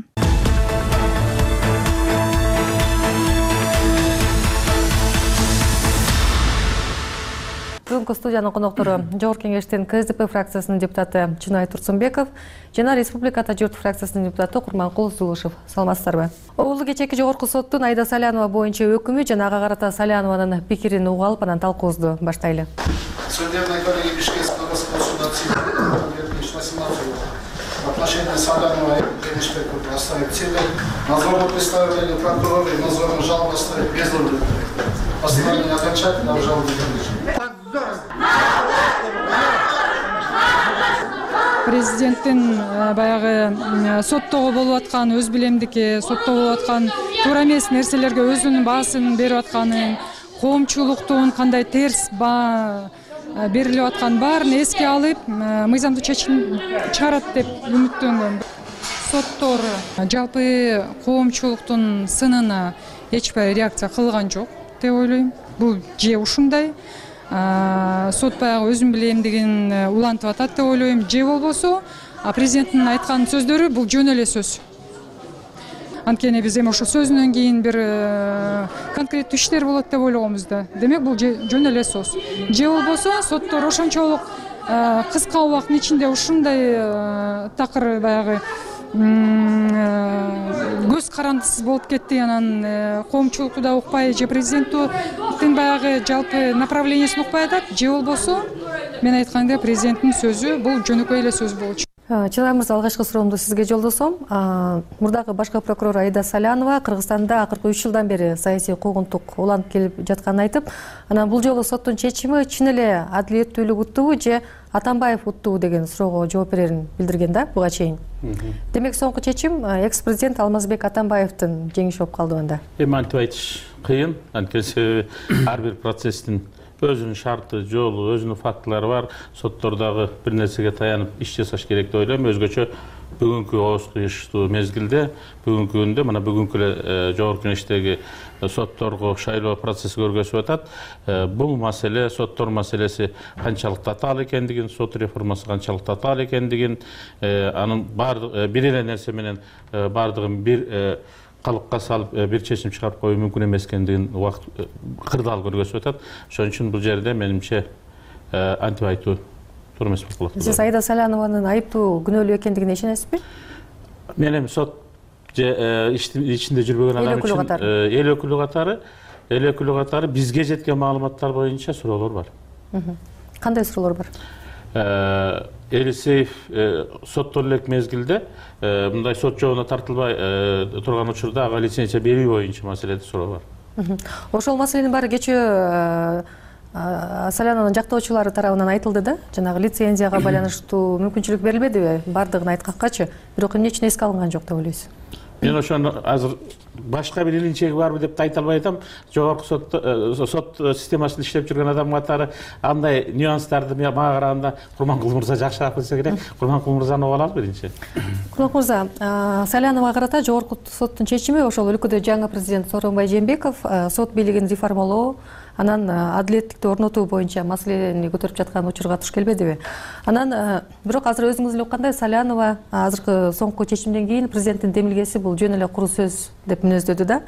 Бүгүнкү студиянын коноктору Жогорку Кеңештин КСДП фракциясынын депутаты Чынай Турсунбеков жана Республиката журт фракциясынын депутаты Курманкул Зулушев. Саламатсыздарбы? Угулду кечээки Жогорку соттун Аида Салянова боюнча өкүмү жана ага карата Салянованын пикирин уга алып, анан талкуубузду баштайлы. Судебная коллегия Бишкекского государственного суда в отношении Салянова и Генишбекова оставить себе. Надзорное представление прокурора и надзорную жалобу оставить без удовлетворения. Постановление окончательно обжаловать. Президенттин баягы соттогу болуп аткан өз билемдики, соттогу болуп аткан туура эмес нерселерге өзүнүн баасын берип атканын, коомчулуктун кандай терс баа берилип аткан баарын эске алып, мыйзамдуу чечим чыгарат деп үмүттөнгөн. Соттор жалпы коомчулуктун сынына эч бир реакция кылган жок деп ойлойм. Бул же ушундай сот баягы өзүн билемдигин улантып атат деп ойлойм, же болбосо президенттин айткан сөздөрү бул жөн эле сөз. Анткени биз эми ошо сөзүнөн кийин бир конкреттүү иштер болот деп ойлогонбуз да. Демек бул жөн эле сөз. Же болбосо соттор ошончолук кыска убакыттын ичинде ушундай такыр баягы көз карандысыз болуп кетти, анан коомчулукту да укпай, же президенттин баягы жалпы направлениясын укпай атат, же болбосо мен айткандай президенттин сөзү бул жөнөкөй эле сөз болчу. Чынай мырза, алгачкы суроомду сизге жолдосом. Мурдагы башкы прокурор Аида Салянова Кыргызстанда акыркы 3 жылдан бери саясий куугунтук уланып келип жатканын айтып, анан бул жолу соттун чечими чын эле адилеттүүлүк уттубу же Атамбаев уттуу деген суроого жооп берерин билдирген да буга чейин. Демек соңку чечим экс президент Алмазбек Атамбаевдин жеңиши болуп калды анда. Эми антип айтыш кыйын, анткени себеби ар бир процесстин өзүнүн шарты, жолу, өзүнүн фактылары бар. Соттордогу бир нерсеге таянып иш жасаш керек деп ойлойм. Өзгөчө бүгүнкү ооз кыйыштуу мезгилде, бүгүнкү күндө мына бүгүнкү эле Жогорку Кеңештеги сотторго шайлоо процесси көргөзүп атат. Бул маселе, соттор маселеси канчалык татаал экендигин, сот реформасы канчалык татаал экендигин, анын баардык бир эле нерсе менен баардыгын бир калыпка салып бир чечим чыгарып коюу мүмкүн эмес экендигин убакыт кырдаал көргөзүп атат. Ошон үчүн бул жерде менимче антип айтуу туура эмес болуп калат. Сиз Аида Салянованын айыптуу күнөөлүү экендигине ишенесизби? Мен эми сот же иштин ичинде жүрбөгөн адам үчүн эл өкүлү катары бизге жеткен маалыматтар боюнча суроолор бар. Кандай суроолор бар? Элисеев соттоло элек мезгилде мындай сот жообуна тартылбай турган учурда ага лицензия берүү боюнча маселеде суроо бар. Ошол маселенин баары кечээ Салянованын жактоочулары тарабынан айтылды да, жанагы лицензияга байланыштуу мүмкүнчүлүк берилбедиби? Бардыгын айткакчы, бирок эмне үчүн эске алынган жок деп ойлойсуз? Мен ошону азыр башка бир илинчеги барбы деп да айта албай атам. Жогорку сот системасында иштеп жүргөн адам катары андай нюанстарды мага караганда Курманкул мырза жакшыраак билсе керек. Курманкул мырзаны угуп алалы биринчи. Курманкул мырза, Саляновага карата Жогорку соттун чечими ошол өлкөдө жаңы президент Сооронбай Жээнбеков сот бийлигин реформалоо, анан адилеттикти орнотуу боюнча маселени көтөрүп жаткан учурга туш келбедиби? Анан бирок азыр өзүңүз эле уккандай Салянова азыркы соңку чечимден кийин президенттин демилгеси бул жөн эле куру сөз деп мүнөздөдү да.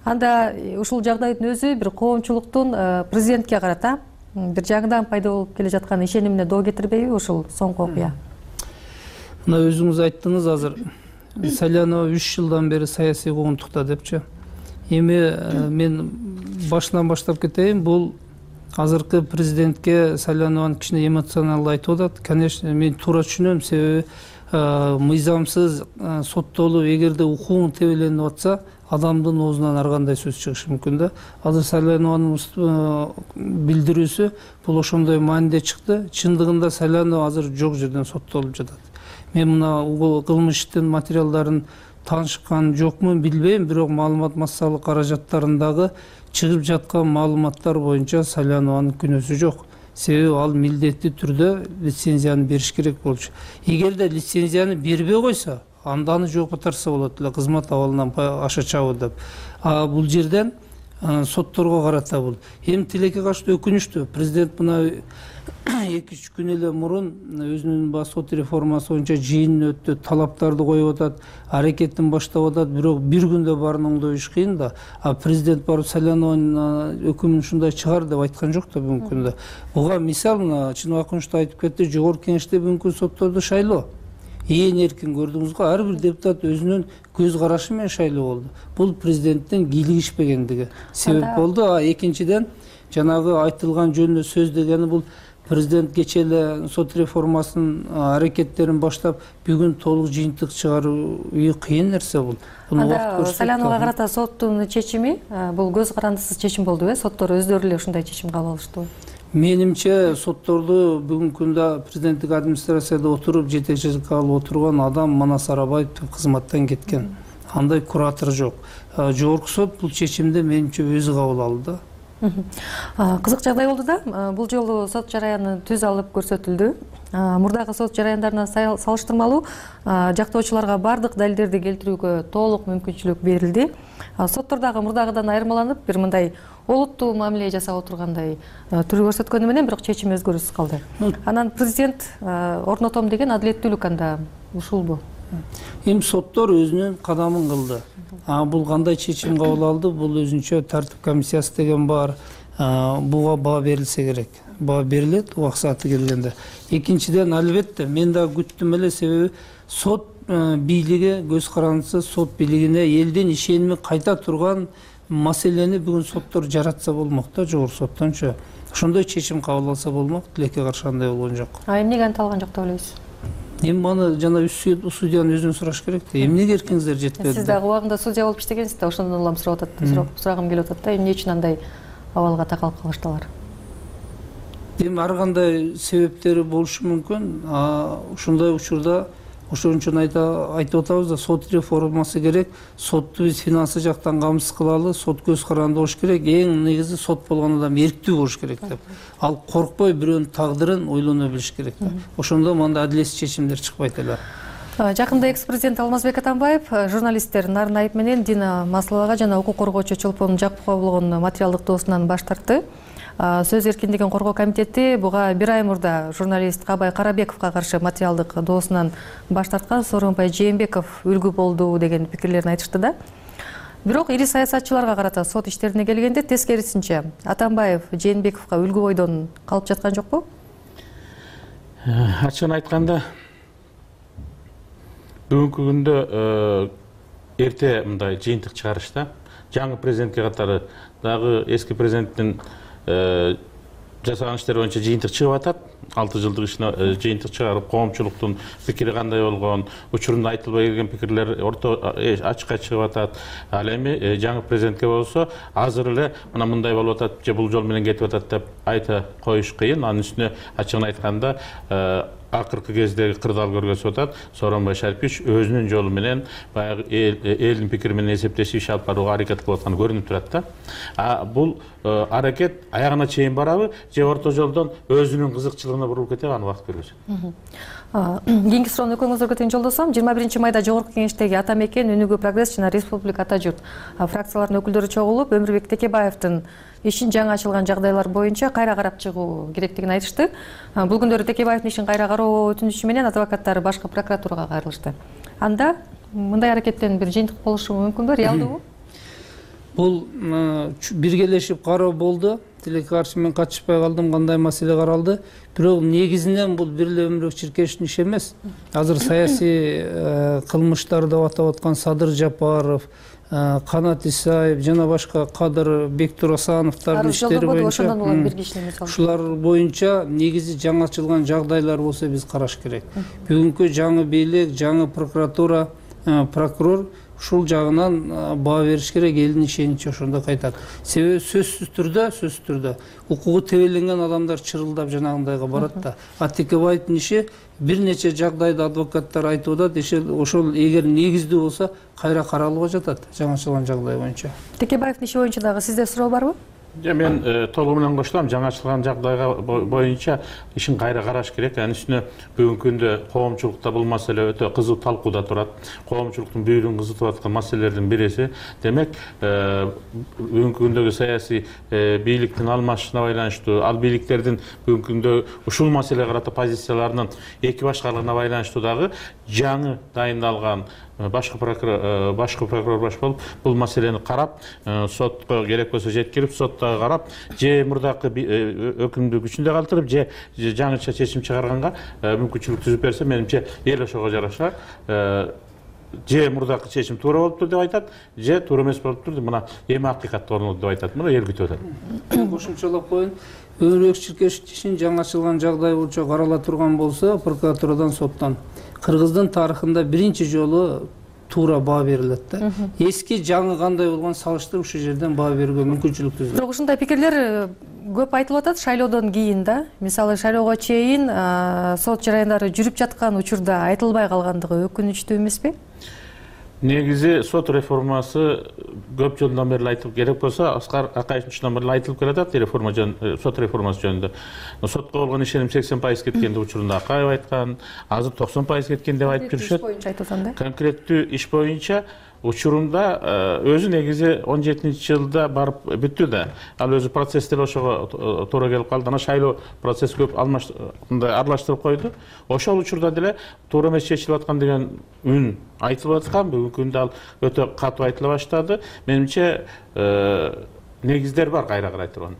Анда ушул жагдайдын өзү бир коомчулуктун президентке карата бир жаңыдан пайда болуп келе жаткан ишенимине доо кетирбейби ушул соңку окуя? Мына өзүңүз айттыңыз азыр Салянова 3 жылдан бери саясий куугунтукта депчи. Эми мен башынан баштап кетейин. Бул азыркы президентке Салянованын кичине эмоционалдуу айтып атат. Конечно, мен туура түшүнөм, себеби мыйзамсыз соттолуу эгерде укугун тебеленип атса, адамдын оозунан ар кандай сөз чыгышы мүмкүн да. Азыр Салянованын билдирүүсү бул ошондой мааниде чыкты. Чындыгында Салянова азыр жок жерден соттолуп жатат. Мен мына кылмыштын материалдарын таанышкан жокмун билбейм, бирок маалымат массалык каражаттарындагы чыгып жаткан маалыматтар боюнча Салянованын күнөөсү жок. Себеби ал милдеттүү түрдө лицензияны бериш керек болчу. Эгерде лицензияны бербей койсо, анда аны жооп катарса болот эле, кызмат абалынан аша чабы деп. Бул жерден сотторго карата бул. Эми тилекке катыштуу өкүнүчтүү. Президент мына 2-3 күн эле мурун өзүнүн сот реформасы боюнча жыйынын өттү, талаптарды коюп атат, аракетин баштап атат, бирок бир күндө баарын оңдоюш кыйын да. Президент барып Салянованын өкүмүн ушундай чыгар деп айткан жок да бүгүнкү күндө. Буга мисал мына Чыныбакынчта айтып кетти, Жогорку Кеңеште бүгүнкү сотторду шайлоо ээн эркин көрдүңүз го, ар бир депутат өзүнүн көз карашы менен шайлоо болду. Бул президенттин кийлигишпегендиги себеп болду. Экинчиден жанагы айтылган жөнүндө сөз дегени бул президент кечээ эле сот реформасынын аракеттерин баштап бүгүн толук жыйынтык чыгаруу кыйын нерсе бул. Буну убакыт көрсөтөт. Саляновага карата соттун чечими бул көз карандысыз чечим болдубу? Соттор өздөрү эле ушундай чечим кабыл алыштыбы? Менимче сотторду бүгүнкү күндө президенттик администрацияда отуруп жетекчилик алып отурган адам Манас Арабаев кызматтан кеткен. Андай куратор жок. Жогорку сот бул чечимди менимче өзү кабыл алды. Кызык жагдай болду да. Бул жолу сот жараяны түз алып көрсөтүлдү. Мурдагы сот жараяндарына салыштырмалуу жактоочуларга бардык далилдерди келтирүүгө толук мүмкүнчүлүк берилди. Соттордагы мурдагыдан айырмаланып, бир мындай олуттуу мамиле жасап отургандай түрү көрсөткөнү менен бирок чечим өзгөрүүсүз калды. Анан президент орнотом деген адилеттүүлүк анда ушулбу? Эми соттор өзүнүн кадамын кылды. Бул кандай чечим кабыл алды? Бул өзүнчө тартип комиссиясы деген бар. Буга баа берилсе керек. Баа берилет убак сааты келгенде. Экинчиден, албетте мен да күттүм эле, себеби сот бийлиги көз карандысы сот бийлигине элдин ишеними кайта турган маселени бүгүн соттор жаратса болмок да, жогорку соттончу. Ошондой чечим кабыл алса болмок, тилекке каршы андай болгон жок. Эмнеге анта алган жок деп ойлойсуз? Эми маны жана судьянын өзүнөн сураш керек да. Эмнеге эркиңиздер жетпеди? Сиз дагы убагында судья болуп иштегенсиз да, ошондон улам сурагым келип атат да. Эмне үчүн андай абалга такалып калыштылар? эми ар кандай себептери болушу мүмкүн. Ушундай учурда ошон үчүн айтып атабыз да, сот реформасы керек, сотту биз финансы жактан камсыз кылалы, сот көз каранды болуш керек, эң негизи сот болгон адам эрктүү болуш керек деп. Ал коркпой бирөөнүн тагдырын ойлоно билиш керек да. Ошондо мындай адилетсиз чечимдер чыкпайт эле. Жакында экс-президент Алмазбек Атамбаев журналисттер Нарын Айып менен Дина Масловага жана укук коргоочу Чолпон Жакупова болгон материалдык доосунан баш тартты. Сөз эркиндигин коргоо комитети буга 1 ай мурда журналист Кабай Карабековго каршы материалдык доосунан баш тарткан Сооронбай Жээнбеков үлгү болду деген пикирлерин айтышты да. Бирок ири саясатчыларга карата сот иштерине келгенде тескерисинче Атамбаев Жээнбековго үлгү бойдон калып жаткан жокпу? Ачыгын айтканда, бүгүнкү күндө эрте мындай жыйынтык чыгарышта жаңы президентке катары дагы эски президенттин жасаган иштери боюнча жыйынтык чыгып атат. 6 жылдык ишине жыйынтык чыгарып, коомчулуктун пикири кандай болгон, учурунда айтылбай келген пикирлер ачыкка чыгып атат. Ал эми жаңы президентке болсо азыр эле мына мындай болуп атат же бул жол менен кетип атат деп айта коюш кыйын. Анын үстүнө ачыгын айтканда акыркы кездеги кырдаал көргөзүп атат. Сооронбай Шарипович өзүнүн жолу менен баягы элдин пикири менен эсептешип иш алып барууга аракет кылып атканы көрүнүп турат да. Бул аракет аягына чейин барабы же орто жолдон өзүнүн кызыкчылыгына бурулуп кетеби, аны убакыт көргөзөт. Кийинки суроону экөөңүзгө тең жолдосом. 21 майда жогорку кеңештеги Ата Мекен, Өнүгүү Прогресс жана Республика Ата Журт фракцияларынын өкүлдөрү чогулуп, Өмүрбек Текебаевдин ишин жаңы ачылган жагдайлар боюнча кайра карап чыгуу керектигин айтышты. Бул күндөрү Текебаевдин ишин кайра кароо өтүнүчү менен адвокаттары башкы прокуратурага кайрылышты. Анда мындай аракеттен бир жыйынтык болушу мүмкүнбү, реалдуубу? Бул биргелешип кароо болду. Тилекке каршы мен катышпай калдым, кандай маселе каралды. Бирок негизинен бул бир эле Өмүрбек Чиркешевдин иши эмес. Азыр саясий кылмыштар деп атап аткан Садыр Жапаров, Канат Исаев жана башка Кадыр Бектурасановдордун иштери боюнча ушулар боюнча негизи жаңы ачылган жагдайлар болсо биз караш керек. Бүгүнкү жаңы бийлик, жаңы прокуратура, прокурор ушул жагынан баа бериш керек, элдин ишеничи ошондо кайтат. Себеби сөзсүз түрдө укугу тебеленген адамдар чырылдап жанагындайга барат да. Текебаевдин иши бир нече жагдайда адвокаттар айтып атат, ошол эгер негиздүү болсо кайра каралууга жатат жаңы ачылган жагдай боюнча. Текебаевдин иши боюнча дагы сизде суроо барбы? Мен толугу менен коштулам. Жаңы ачылган жагдайга боюнча ишин кайра караш керек. Анын үстүнө бүгүнкү күндө коомчулукта бул маселе өтө кызуу талкууда турат. Коомчулуктун бүйүрүн кызытып аткан маселелердин бириси. Демек, бүгүнкү күндөгү саясий бийликтин алмашышына байланыштуу, ал бийликтердин бүгүнкү күндө ушул маселеге карата позицияларынын эки башкалыгына байланыштуу дагы жаңы дайындалган башкы прокурор баш болуп бул маселени карап, сотко керек болсо жеткирип, сотто карап, же мурдакы өкүмдү күчүндө калтырып, же жаңыча чечим чыгарганга мүмкүнчүлүк түзүп берсе, менимче эл ошого жараша же мурдакы чечим туура болуптур деп айтат, же туура эмес болуптур деп мына эми акыйкатты орноту деп айтат. Мына эл күтүп атат. Кошумчалап коеюн. Өмүрбек Чиркешев ишин жаңы ачылган жагдай боюнча карала турган болсо, прокуратурадан, соттон Кыргыздын тарыхында биринчи жолу туура баа берилет да. Эски жаңы кандай болгон салыштырып ушул жерден баа берүүгө мүмкүнчүлүк түзүлөт. Бирок ушундай пикирлер көп айтылып атат шайлоодон кийин да. Мисалы шайлоого чейин сот жараяндары жүрүп жаткан учурда айтылбай калгандыгы өкүнүчтүү эмеспи? Негизи сот реформасы көп жылдан бери айтылып, керек болсо Аскар Акаевичтен бери айтылып келатат сот реформасы жөнүндө. Сотко болгон ишеним 80% кеткен деп учурунда Акаев айткан, азыр 90% кеткен деп айтып жүрүшөт. Конкреттүү иш боюнча учурунда өзү негизи 17-жылда барып бүттү да. Ал өзү процесстер ошого туура келип калды. Ана шайлоо процесс көп аралаштырып койду. Ошол учурда деле туура эмес чечилип аткан деген үн айтылып аткан. Бүгүнкү күндө ал өтө катуу айтыла баштады. Менимче негиздер бар кайра карай турган.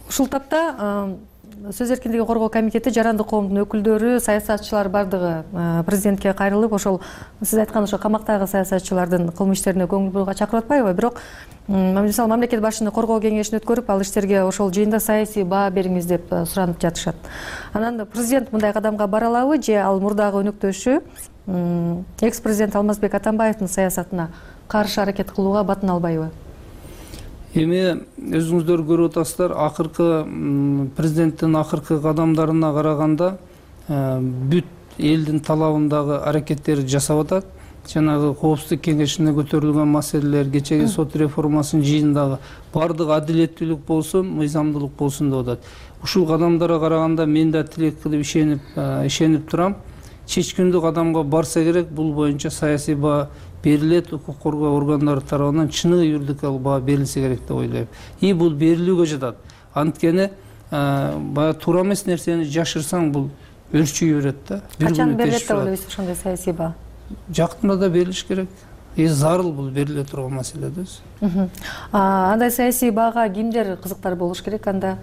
Ушул тапта сөз эркиндигин коргоо комитети, жарандык коомдун өкүлдөрү, саясатчылар бардыгы президентке кайрылып, ошол сиз айткан ошо камактагы саясатчылардын кылмыш иштерине көңүл буруга чакырып атпайбы? Бирок мисалы мамлекет башчыны коргоо кеңешин өткөрүп, ал иштерге ошол жыйында саясий баа бериңиз деп суранып жатышат. Анан президент мындай кадамга бара алабы же ал мурдагы өнөктөшү экс-президент Алмазбек Атамбаевдин саясатына каршы аракет кылууга батын албайбы? Эми өзүңүздөр көрүп атасыздар, акыркы президенттин акыркы кадамдарына караганда бүт элдин талабындагы аракеттерди жасап атат. Жанагы коопсуздук кеңешине көтөрүлгөн маселелер, кечеги сот реформасынын жыйындагы баардык адилеттүүлүк болсун, мыйзамдуулук болсун деп атат. Ушул кадамдарга караганда мен да тилек кылып ишенип турам. Чечкиндүү кадамга барса керек, бул боюнча саясий баа берилет, укук коргоо органдары тарабынан чыныгы юридикалык баа берилсе керек деп ойлойм. И бул берилүүгө жатат. Анткени баягы туура эмес нерсени жашырсаң, бул өрчүйө берет да. Качан берилет деп ойлойсуз ошондой саясий баа? Жакында да берилиш керек. Зарыл бул бериле турган маселе да. Андай саясий баага кимдер кызыктар болуш керек анда?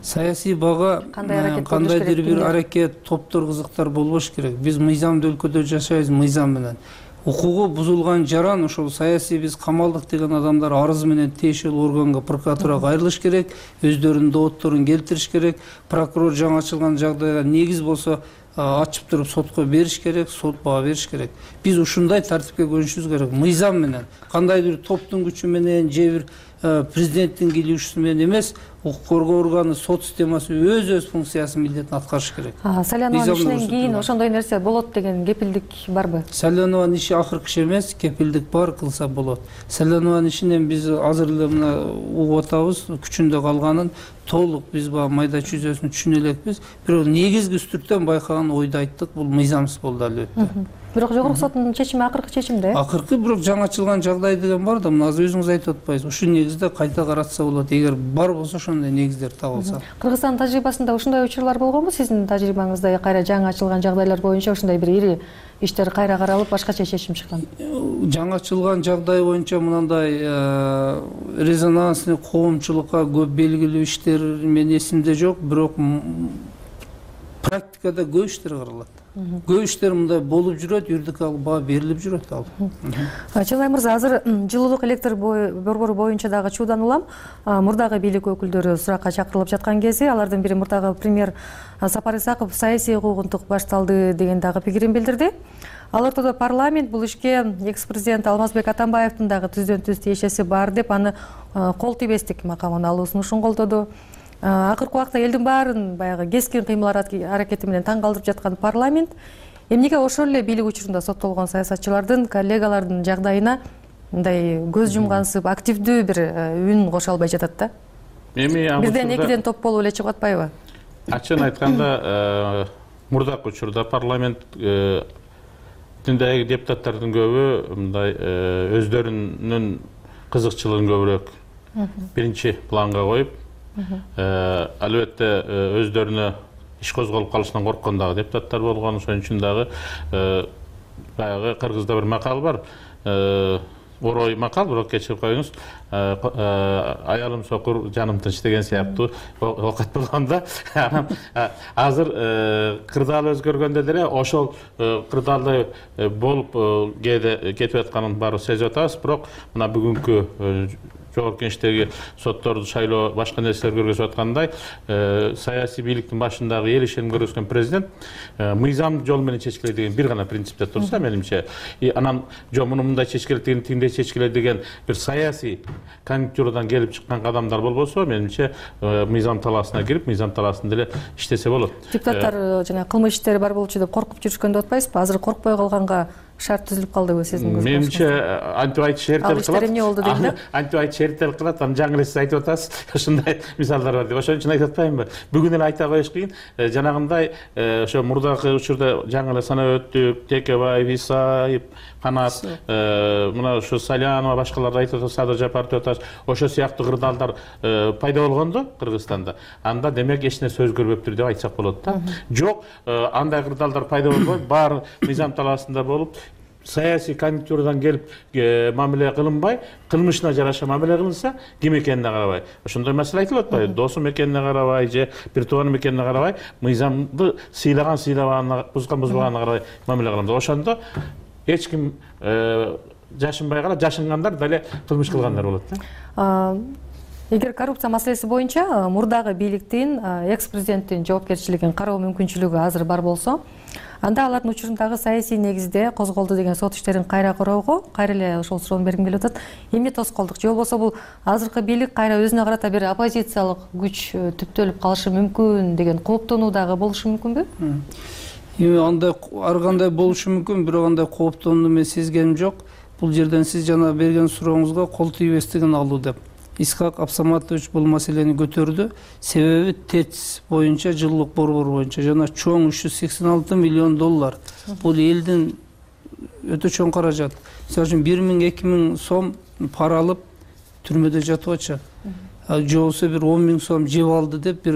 Саясий баага кандайдыр бир аракет, топтор кызыктар болбош керек. Биз мыйзамдуу өлкөдө жашайбыз, мыйзам менен. Укугу бузулган жаран ошол саясий биз камалдык деген адамдар арыз менен тиешелүү органга, прокуратурага кайрылыш керек, өздөрүнүн доотторун келтириш керек. Прокурор жаңы ачылган жагдайга негиз болсо ачып туруп сотко бериш керек, сот баа бериш керек. Биз ушундай тартипке көнүшүбүз керек. Мыйзам менен, кандайдыр топтун күчү менен же бир президенттин кийлешүүсү менен эмес, укук коргоо органы, сот системасы өз функциясын, милдетин аткарыш керек. Сайлануунун ишинен кийин ошондой нерсе болот деген кепилдик барбы? Сайлануунун иши акыркы иш эмес, кепилдик бар, кылса болот. Сайлануунун ишинен биз азыр эле мына угуп атабыз, күчүндө калганын толук биз баягы майда чүйзөсүн түшүнө элекпиз. Бирок негизги үстүртөн байкаган ойду айттык, бул мыйзамсыз болду албетте. Бирок жогорку соттун чечими акыркы чечим да? Акыркы, бирок жаңы ачылган жагдай деген бар да, мына азыр өзүңүз айтып атпайсызбы? Ушул негизде кайта каратса болот, эгер бар болсо ошондой негиздер табылса. Кыргызстандын тажрыйбасында ушундай учурлар болгонбу? Сиздин тажрыйбаңызда кайра жаңы ачылган жагдайлар боюнча ушундай бир ири иштер кайра каралып, башкача чечим чыккан? Жаңы ачылган жагдай боюнча мындай резонансный коомчулукка көп белгилүү иштер мен эсимде жок, бирок практикада көп иштер каралат. Көп иштер мындай болуп жүрөт, юридикалык баа берилип жүрөт ал. Чыңгай мырза, азыр жылуулук электр борбору боюнча дагы чуудан улам мурдагы бийлик өкүлдөрү суракка чакырылып жаткан кези, алардын бири мурдагы премьер Сапар Исаков саясий куугунтук башталды деген дагы пикирин билдирди. Ал ортодо парламент бул ишке экс-президент Алмазбек Атамбаевдин дагы түздөн түз тиешеси бар деп, аны кол тийбестик макамын алуусун колдоду. Акыркы убакта элдин баарын баягы кескин кыймыл аракети менен таң калтырып жаткан парламент эмнеге ошол эле бийлик учурунда соттолгон саясатчылардын, коллегалардын жагдайына мындай көз жумгансып, активдүү бир үн кошо албай жатат да? Бирден экиден топ болуп эле чыгып атпайбы? Ачыгын айтканда, мурдакы учурда парламенттиндеги депутаттардын көбү мындай өздөрүнүн кызыкчылыгын көбүрөөк биринчи планга коюп, албетте өздөрүнө иш козголуп калышынан корккон дагы депутаттар болгон. Ошон үчүн дагы баягы кыргызда бир макал бар, орой макал, бирок кечирип коюңуз, аялым сокур, жаным тынч деген сыяктуу окат болгондо, анан азыр кырдаал өзгөргөндө деле ошол кырдаалдай болуп кетип атканын баарыбыз сезип атабыз. Бирок мына бүгүнкү жогорку кеңештеги сотторду шайлоо, башка нерселер көргөзүп аткандай, саясий бийликтин башындагы эл ишеним көргөзгөн президент мыйзам жол менен чечкиле деген бир гана принципте турса, менимче, анан жок муну мындай чечкиле деген, тигиндей чечкиле деген бир саясий конъюнктурадан келип чыккан кадамдар болбосо, менимче мыйзам талаасына кирип, мыйзам талаасында эле иштесе болот. Депутаттар жана кылмыш иштери бар болчу деп коркуп жүрүшкөн деп атпайсызбы? Азыр коркпой калганга шарт түзүлүп калдыбы сиздин көз карашыңызда? Менимче антип айтыш эртелик кылат. Ал иштер эмне болду дейм да? Антип айтыш эртелик кылат, анан жаңы эле сиз айтып атасыз, ушундай мисалдар бар деп. Ошон үчүн айтып атпаймынбы? Бүгүн эле айта коюш кыйын. Жанагындай ошо мурдакы учурда жаңы эле санап өттүк, Текебаев, Исаев, Канат, мына ушу Салянова, башкаларды айтып атат, Садыр Жапаров деп атат. Ошо сыяктуу кырдаалдар пайда болгондо Кыргызстанда, анда демек эч нерсе өзгөрбөптүр деп айтсак болот да. Жок, андай кырдаалдар пайда болбой, баары мыйзам талаасында болуп, саясий конъюнктурадан келип мамиле кылынбай, кылмышына жараша мамиле кылынса, ким экенине карабай. Ошондой маселе айтылып атпайбы? Досум экенине карабай же бир тууганым экенине карабай, мыйзамды сыйлаган сыйлаганына, бузганына карабай мамиле кылынат. Ошондо эч ким жашынбай калат, жашынгандар деле кылмыш кылгандар болот да. Эгер коррупция маселеси боюнча мурдагы бийликтин экс-президенттин жоопкерчилигин кароо мүмкүнчүлүгү азыр бар болсо, анда алардын учурундагы саясий негизде козголду деген сот иштерин кайра кароого кайра эле ошол суроону бергим келип атат. Эмне тоскоолдук же болбосо бул азыркы бийлик кайра өзүнө карата бир оппозициялык күч түптөлүп калышы мүмкүн деген кооптонуу дагы болушу мүмкүнбү? Андай ар кандай болушу мүмкүн, бирок андай кооптонууну мен сезгеним жок. Бул жерден сиз жана берген сурооңузга кол тийбестигин алуу деп. Исхак Абсаматович бул маселени көтөрдү. Себеби ТЭЦ боюнча, жылуулук борбору боюнча жана чоң 386 миллион доллар. Бул элдин өтө чоң каражат. Мисалы үчүн 1000-2000 сом пара алып түрмөдө жатып атышат. Же болбосо бир 10 000 сом жеп алды деп бир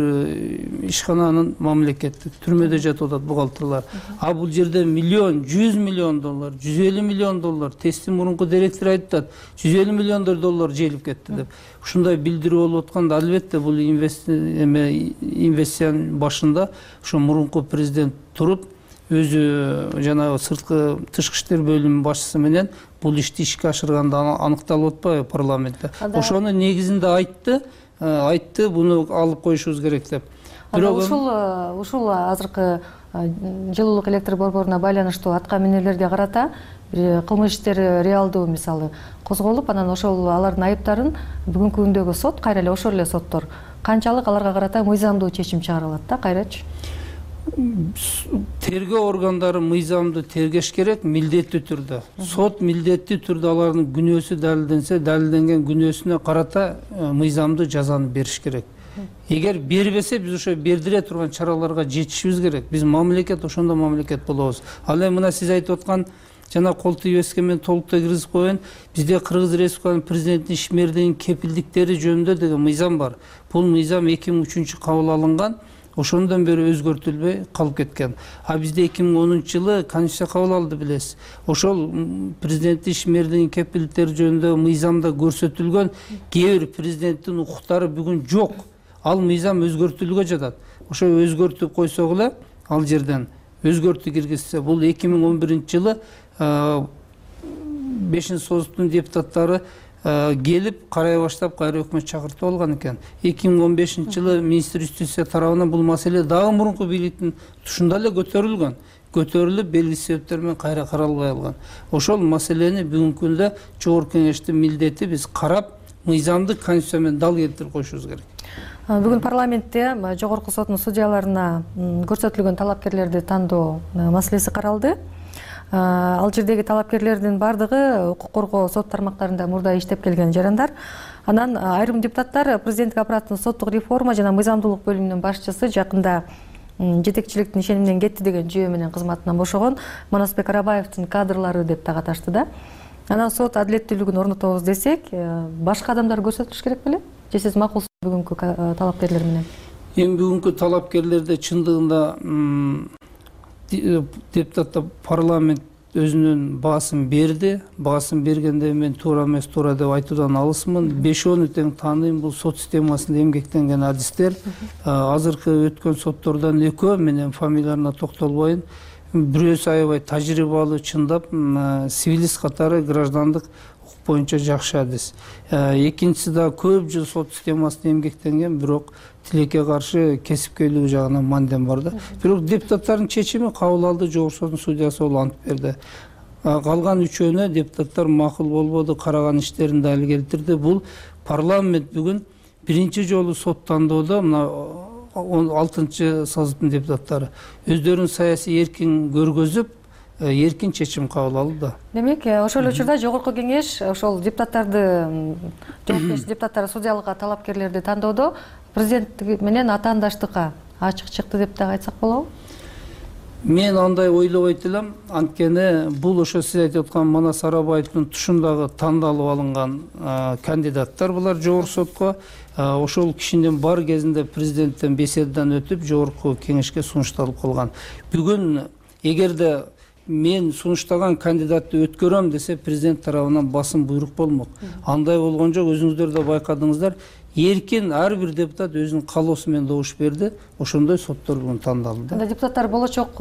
ишкананын мамлекеттик түрмөдө жатып атат бухгалтерлар. А бул жерде миллион, 100 миллион доллар, 150 миллион доллар, ТЭЦтин мурунку директору айтат, 150 миллион доллар желип кетти деп. Ушундай билдирүү болуп атканда албетте бул инвестициянын башында ошо мурунку президент туруп, өзү жанагы сырткы тышкы иштер бөлүмүнүн башчысы менен бул ишти ишке ашырганда аныкталып атпайбы парламентте. Ошонун негизинде айтты, буну алып коюшубуз керек деп. Бирок ушул азыркы жылуулук электр борборуна байланыштуу атка минерлерге карата бир кылмыш иштери реалдуу мисалы козголуп, анан ошол алардын айыптарын бүгүнкү күндөгү сот, кайра эле ошол эле соттор канчалык аларга карата мыйзамдуу чечим чыгара алат да, кайрачы? Тергөө органдары мыйзамды тергеш керек, милдеттүү түрдө. Сот милдеттүү түрдө алардын күнөөсү далилденсе, далилденген күнөөсүнө карата мыйзамдуу жазаны бериш керек. Эгер бербесе, биз ошо бердире турган чараларга жетишибиз керек. Биз мамлекет, ошондо мамлекет болобуз. Ал эми мына сиз айтып аткан жана кол тийбестикке мен толуктай киргизип коеюн. Бизде Кыргыз Республикасынын президентинин ишмердигинин кепилдиктери жөнүндө деген мыйзам бар. Бул мыйзам 2003 кабыл алынган. Ошондон бери өзгөртүлбөй калып кеткен. А бизде 2010-жылы конституция кабыл алды, билесиз. Ошол президенттин ишмердигинин кепилдиктери жөнүндө мыйзамда көрсөтүлгөн кээ бир президенттин укуктары бүгүн жок. Ал мыйзам өзгөртүлүүгө жатат. Ошо өзгөртүп койсок эле, ал жерден өзгөртүү киргизсе, бул 2011-жылы 5-соттун депутаттары келип карай баштап кайра өкмөт чакыртып алган экен. 2015-жылы министр юстиция тарабынан бул маселе дагы мурунку бийликтин тушунда эле көтөрүлүп белгилүү себептер менен кайра каралбай алган. Ошол маселени бүгүнкү күндө жогорку кеңештин милдети биз карап, мыйзамдык конституция менен дал келтирип коюшубуз керек. Бүгүн парламентте жогорку соттун судьяларына көрсөтүлгөн талапкерлерди тандоо маселеси каралды. Ал жердеги талапкерлердин бардыгы укук коргоо сот тармактарында мурда иштеп келген жарандар. Анан айрым депутаттар президенттик аппараттын соттук реформа жана мыйзамдуулук бөлүмүнүн башчысы жакында жетекчиликтин ишениминен кетти деген жүйө менен кызматынан бошогон Манасбек Арабаевдин кадрлары деп так аташты да. Анан сот адилеттүүлүгүн орнотобуз десек, башка адамдар көрсөтүлүш керек беле? Же сиз макулсуз бүгүнкү талапкерлер менен? Эми бүгүнкү талапкерлерде чындыгында депутаттар парламент өзүнүн баасын берди. Баасын бергенде мен туура эмес, туура деп айтуудан алысмын. 5-10 тең тааныйм, бул сот системасында эмгектенген адистер. Азыркы өткөн соттордон экөө, менен фамилиясына токтолбойм. Бирөөсү аябай тажрыйбалуу, чындап сивилист катары граждандык укук боюнча жакшы адис. Экинчиси да көп жыл сот системасында эмгектенген, бирок тилекке каршы кесипкөйлүгү жагынан мандем бар да. Бирок депутаттардын чечими кабыл алды, жогорку соттун судьясы болуп ант берди. Калган үчөөнө депутаттар макул болбоду, караган иштерин дали келтирди. Бул парламент бүгүн биринчи жолу сот тандоодо мына 6-соттун депутаттары өздөрүнүн саясий эркин көргөзүп, эркин чечим кабыл алды. Демек, ошол эле учурда жогорку кеңеш ошол депутаттарды, жогорку кеңеш депутаттары судьялыкка талапкерлерди тандоодо президент менен атаандаштыкка ачык чыкты деп да айтсак болобу? Мен андай ойлобойт элем, анткени бул ошо сиз айтып аткан Манас Арабаевдин тушундагы тандалып алынган кандидаттар булар жогорку сотко. Ошол кишинин бар кезинде президенттен беседадан өтүп жогорку кеңешке сунушталып калган. Бүгүн эгерде мен сунуштаган кандидатты өткөрөм десе, президент тарабынан басым буйрук болмок. Андай болгон жок, өзүңүздөр да байкадыңыздар. эркин ар бир депутат өзүнүн каалоосу менен добуш берди. Ошондой соттор бүгүн тандалды. Анда депутаттар болочок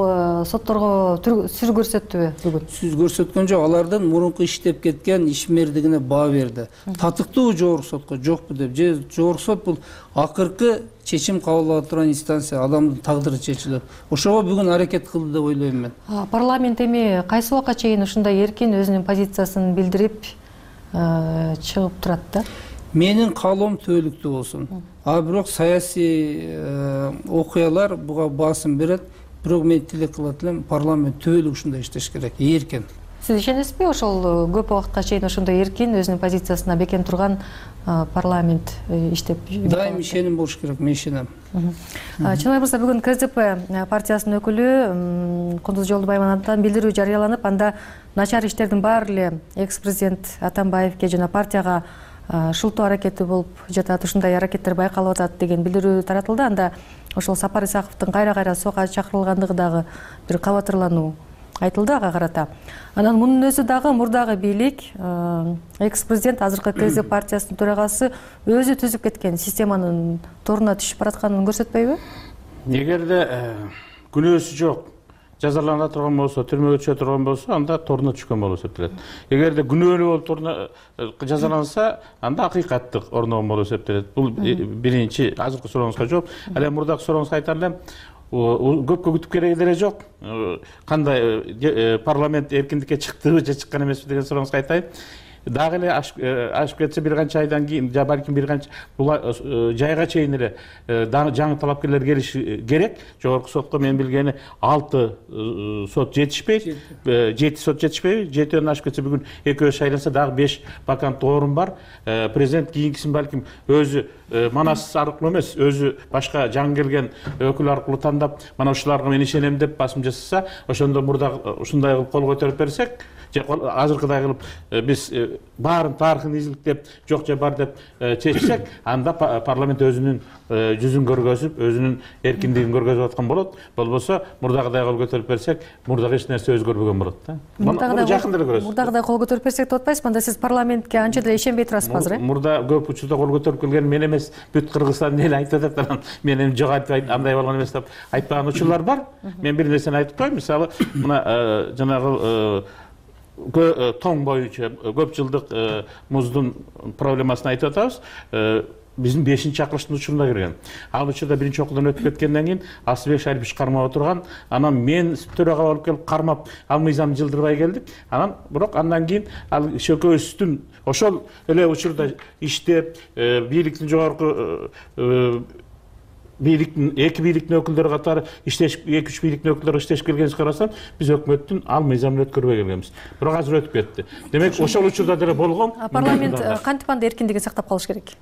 сотторго сүз көрсөттүбү бүгүн? Сүз көрсөткөн жок, алардын мурунку иштеп кеткен ишмердигине баа берди. Татыктуу жогорку сотко жокпу деп, же жогорку сот бул акыркы чечим кабыл ала турган инстанция, адамдын тагдыры чечилет. Ошого бүгүн аракет кылды деп ойлойм мен. Парламент эми кайсы убакка чейин ушундай эркин өзүнүн позициясын билдирип чыгып турат да? Менин каалоом түбөлүктүү болсун. Бирок саясий окуялар буга басым берет. Бирок мен тилек кылат элем, парламент түбөлүк ушундай иштеш керек, эркин. Сиз ишенесизби ошол көп убакытка чейин ошондой эркин өзүнүн позициясына бекем турган парламент иштеп? Дайым ишеним болуш керек, мен ишенем. Чыныбай мырза, бүгүн КЗП партиясынын өкүлү Кундуз Жолдубаевадан билдирүү жарыяланып, анда начар иштердин баары эле экс-президент Атамбаевге жана партияга шылтоо аракети болуп жатат, ушундай аракеттер байкалып атат деген билдирүү таратылды. Анда ошол Сапар Исаковдун кайра сого чакырылгандыгы дагы бир кабатырлануу айтылды ага карата. Анан мунун өзү дагы мурдагы бийлик, экс-президент азыркы КЗ партиясынын төрагасы өзү түзүп кеткен системанын торуна түшүп баратканын көрсөтпөйбү? Эгерде күнөөсү жок, жазалана турган болсо, түрмөгө түшө турган болсо, анда торуна түшкөн болуп эсептелет. Эгерде күнөөлүү болуп туруна жазаланса, анда акыйкаттык орногон болуп эсептелет. Бул биринчи азыркы сурооңузга жооп. Ал эми мурдагы сурооңузга айтар элем, көпкө күтүп кереги деле жок. Кандай парламент эркиндикке чыктыбы же чыккан эмеспи деген сурооңузга айтайын. Дагы эле ашып кетсе бир канча айдан кийин, же балким бир канча жайга чейин эле жаңы талапкерлер келиши керек. Жогорку сотко мен билгени 6 сот жетишпейт, 7 сот жетишпейби? 7ден ашып кетсе бүгүн экөө шайланса дагы 5 ваканттуу орун бар. Президент кийинкисин балким өзү манас аркылуу эмес, өзү башка жаңы келген өкүл аркылуу тандап, мана ушуларга мен ишенем деп басым жасаса, ошондо мурда ушундай кылып кол көтөрүп берсек, же азыркыдай кылып биз баарын тарыхын изиликтеп, жок же бар деп чечсек, анда парламент өзүнүн жүзүн көргөзүп, өзүнүн эркиндигин көргөзүп аткан болот. Болбосо мурдагыдай кол көтөрүп берсек, мурдагы эч нерсе өзгөрбөгөн болот да. Муну жакында эле көрөсүз. Мурдагыдай кол көтөрүп берсек деп атпайсызбы? Анда сиз парламентке анча деле ишенбей турасызбы азыр? Мурда көп учурда кол көтөрүп келген мен эмес, бүт Кыргызстан эл айтып атат. Мен эми жок айтпайт, андай болгон эмес деп айтпаган учурлар бар. Мен бир нерсени айтып коеюн. Мисалы, мына жанагы тоң боюнча көп жылдык муздун проблемасын айтып атабыз. Биздин 5-чакырыштын учурунда кирген. Ал учурда биринчи окуудан өтүп кеткенден кийин Асылбек Шарипов кармап отурган. Анан мен төрага болуп келип кармап, ал мыйзам жылдырбай келдик. Анан бирок андан кийин ал шөкөбүздүн ошол эле учурда иштеп, бийликтин жогорку бийликтин эки бийликтин өкүлдөрү катары иштеш, 2-3 бийликтин өкүлдөрү иштешип келгенибизди карасам, биз өкмөттүн ал мыйзамын өткөрбөй келгенбиз. Бирок азыр өтүп кетти. Демек, ошол учурда деле болгон. Парламент кантип анда эркиндигин сактап калыш керек?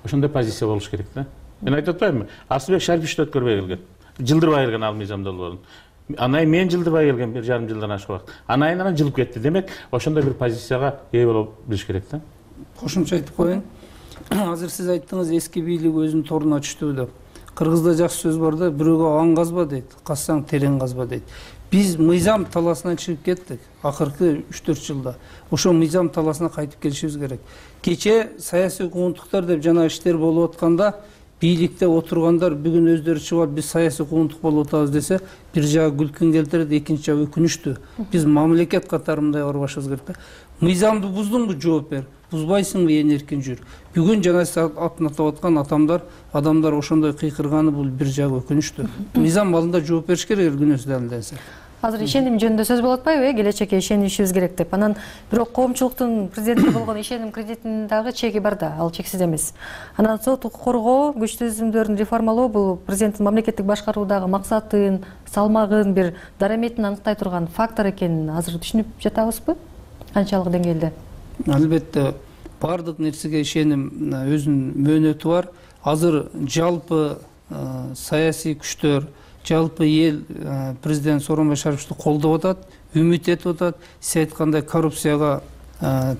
Ошондой позиция болуш керек да. Мен айтып атпаймынбы? Асылбек Шарипов өткөрбөй келген. Жылдырбай келген ал мыйзам долбоорун. Анан мен жылдырбай келген 1,5 жылдан ашык убакыт. Анан жылып кетти. Демек, ошондой бир позицияга ээ болуп билиш керек да. Кошумча айтып коеюн. Азыр сиз айттыңыз, эски бийлик өзүнүн торуна түштү деп. Кыргызда жакшы сөз бар да, бирөөгө аң казба дейт, казсаң терең казба дейт. Биз мыйзам таласынан чыгып кеттик акыркы 3-4 жылда. Ошо мыйзам таласына кайтып келишибиз керек. Кече саясий куугунтуктар деп жана иштер болуп атканда, бийликте отургандар бүгүн өздөрү чыгып биз саясий куугунтук болуп атабыз десе, бир жагы күлкүн келтирет, экинчи жагы өкүнүчтүү. Биз мамлекет катары мындай барбашыбыз керек да. Мыйзамды буздуңбу, жооп бер. Бузбайсыңбы, ээн эркин жүр. Бүгүн жана атын атап аткан адамдар ошондой кыйкырганы бул бир жагы өкүнүчтүү. Мыйзам алдында жооп бериш керек, күнөөсү далилденсе. Азыр ишеним жөнүндө сөз болуп атпайбы? Келечекке ишенишибиз керек деп. Анан бирок коомчулуктун президентке болгон ишеним кредитинин дагы чеги бар да, ал чексиз эмес. Анан соттук коргоо, күч түзүмдөрүн реформалоо бул президенттин мамлекеттик башкаруудагы максатын, салмагын, бир дараметин аныктай турган фактор экенин азыр түшүнүп жатабызбы? Канчалык деңгээлде? Албетте, бардык нерсеге ишеним өзүнүн мөөнөтү бар. Азыр жалпы саясий күчтөр, жалпы эл президент Сооронбай Шариповду колдоп атат, үмүт этип атат. Сиз айткандай коррупцияга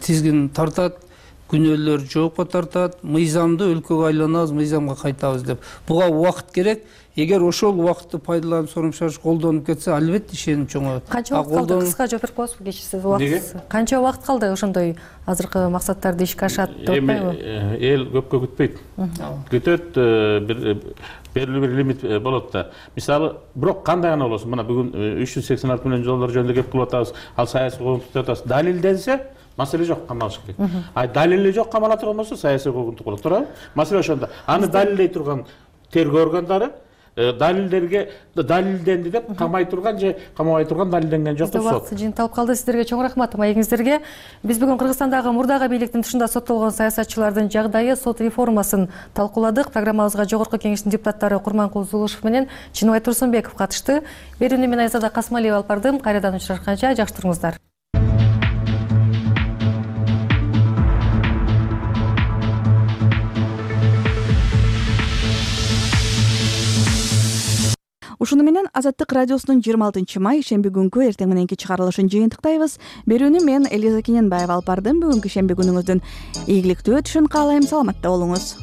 тизгин тартат, күнөөлөр жоокко тартат, мыйзамды өлкөгө айланабыз, мыйзамга кайтабыз деп. Буга убакыт керек. эгер ошол убакытты пайдаланып соруң шаш колдонуп кетсе, албетте ишеним чоңоет. Канча убакыт калды? Кыска жооп берип коесузбу? Кечирсиз, убакытсыз. Канча убакыт калды ошондой азыркы максаттарды ишке ашат деп атпайбы? Эл көпкө күтпөйт. Күтөт, белгилүү бир лимит болот да. Мисалы, бирок кандай гана болосун, мына бүгүн 386 миллион доллар жөнүндө кеп кылып атабыз, ал саясий коомдук деп атабыз. Далилденсе, маселе жок, камалыш керек. Далили жок, камала турган болсо саясий коомдук болот, туурабы? Маселе ошондо. Аны далилдей турган тергөө органдары далилдерге далилденди деп камай турган же камабай турган далилденген жок деп сот. Убакыт жыйынталып калды. Сиздерге чоң рахмат маегиңиздерге. Биз бүгүн Кыргызстандагы мурдагы бийликтин тышында соттолгон саясатчылардын жагдайы, сот реформасын талкууладык. Программабызга Жогорку Кеңештин депутаттары Курманкул Зулушев менен Чыныбай Турсунбеков катышты. Берүүнү мен Айзада Касмалиева алып бардым. Кайрадан учурашканча жакшы туруңуздар. Ушуну менен Азаттык радиосунун 26 май шемби күнкү эртең мененки чыгарылышын жыйынтыктайбыз. Берүүнү мен Элиза Кененбаева алып бардым. Бүгүнкү шемби күнүңүздүн ийгиликтүү өтүшүн каалайм. Саламатта болуңуз.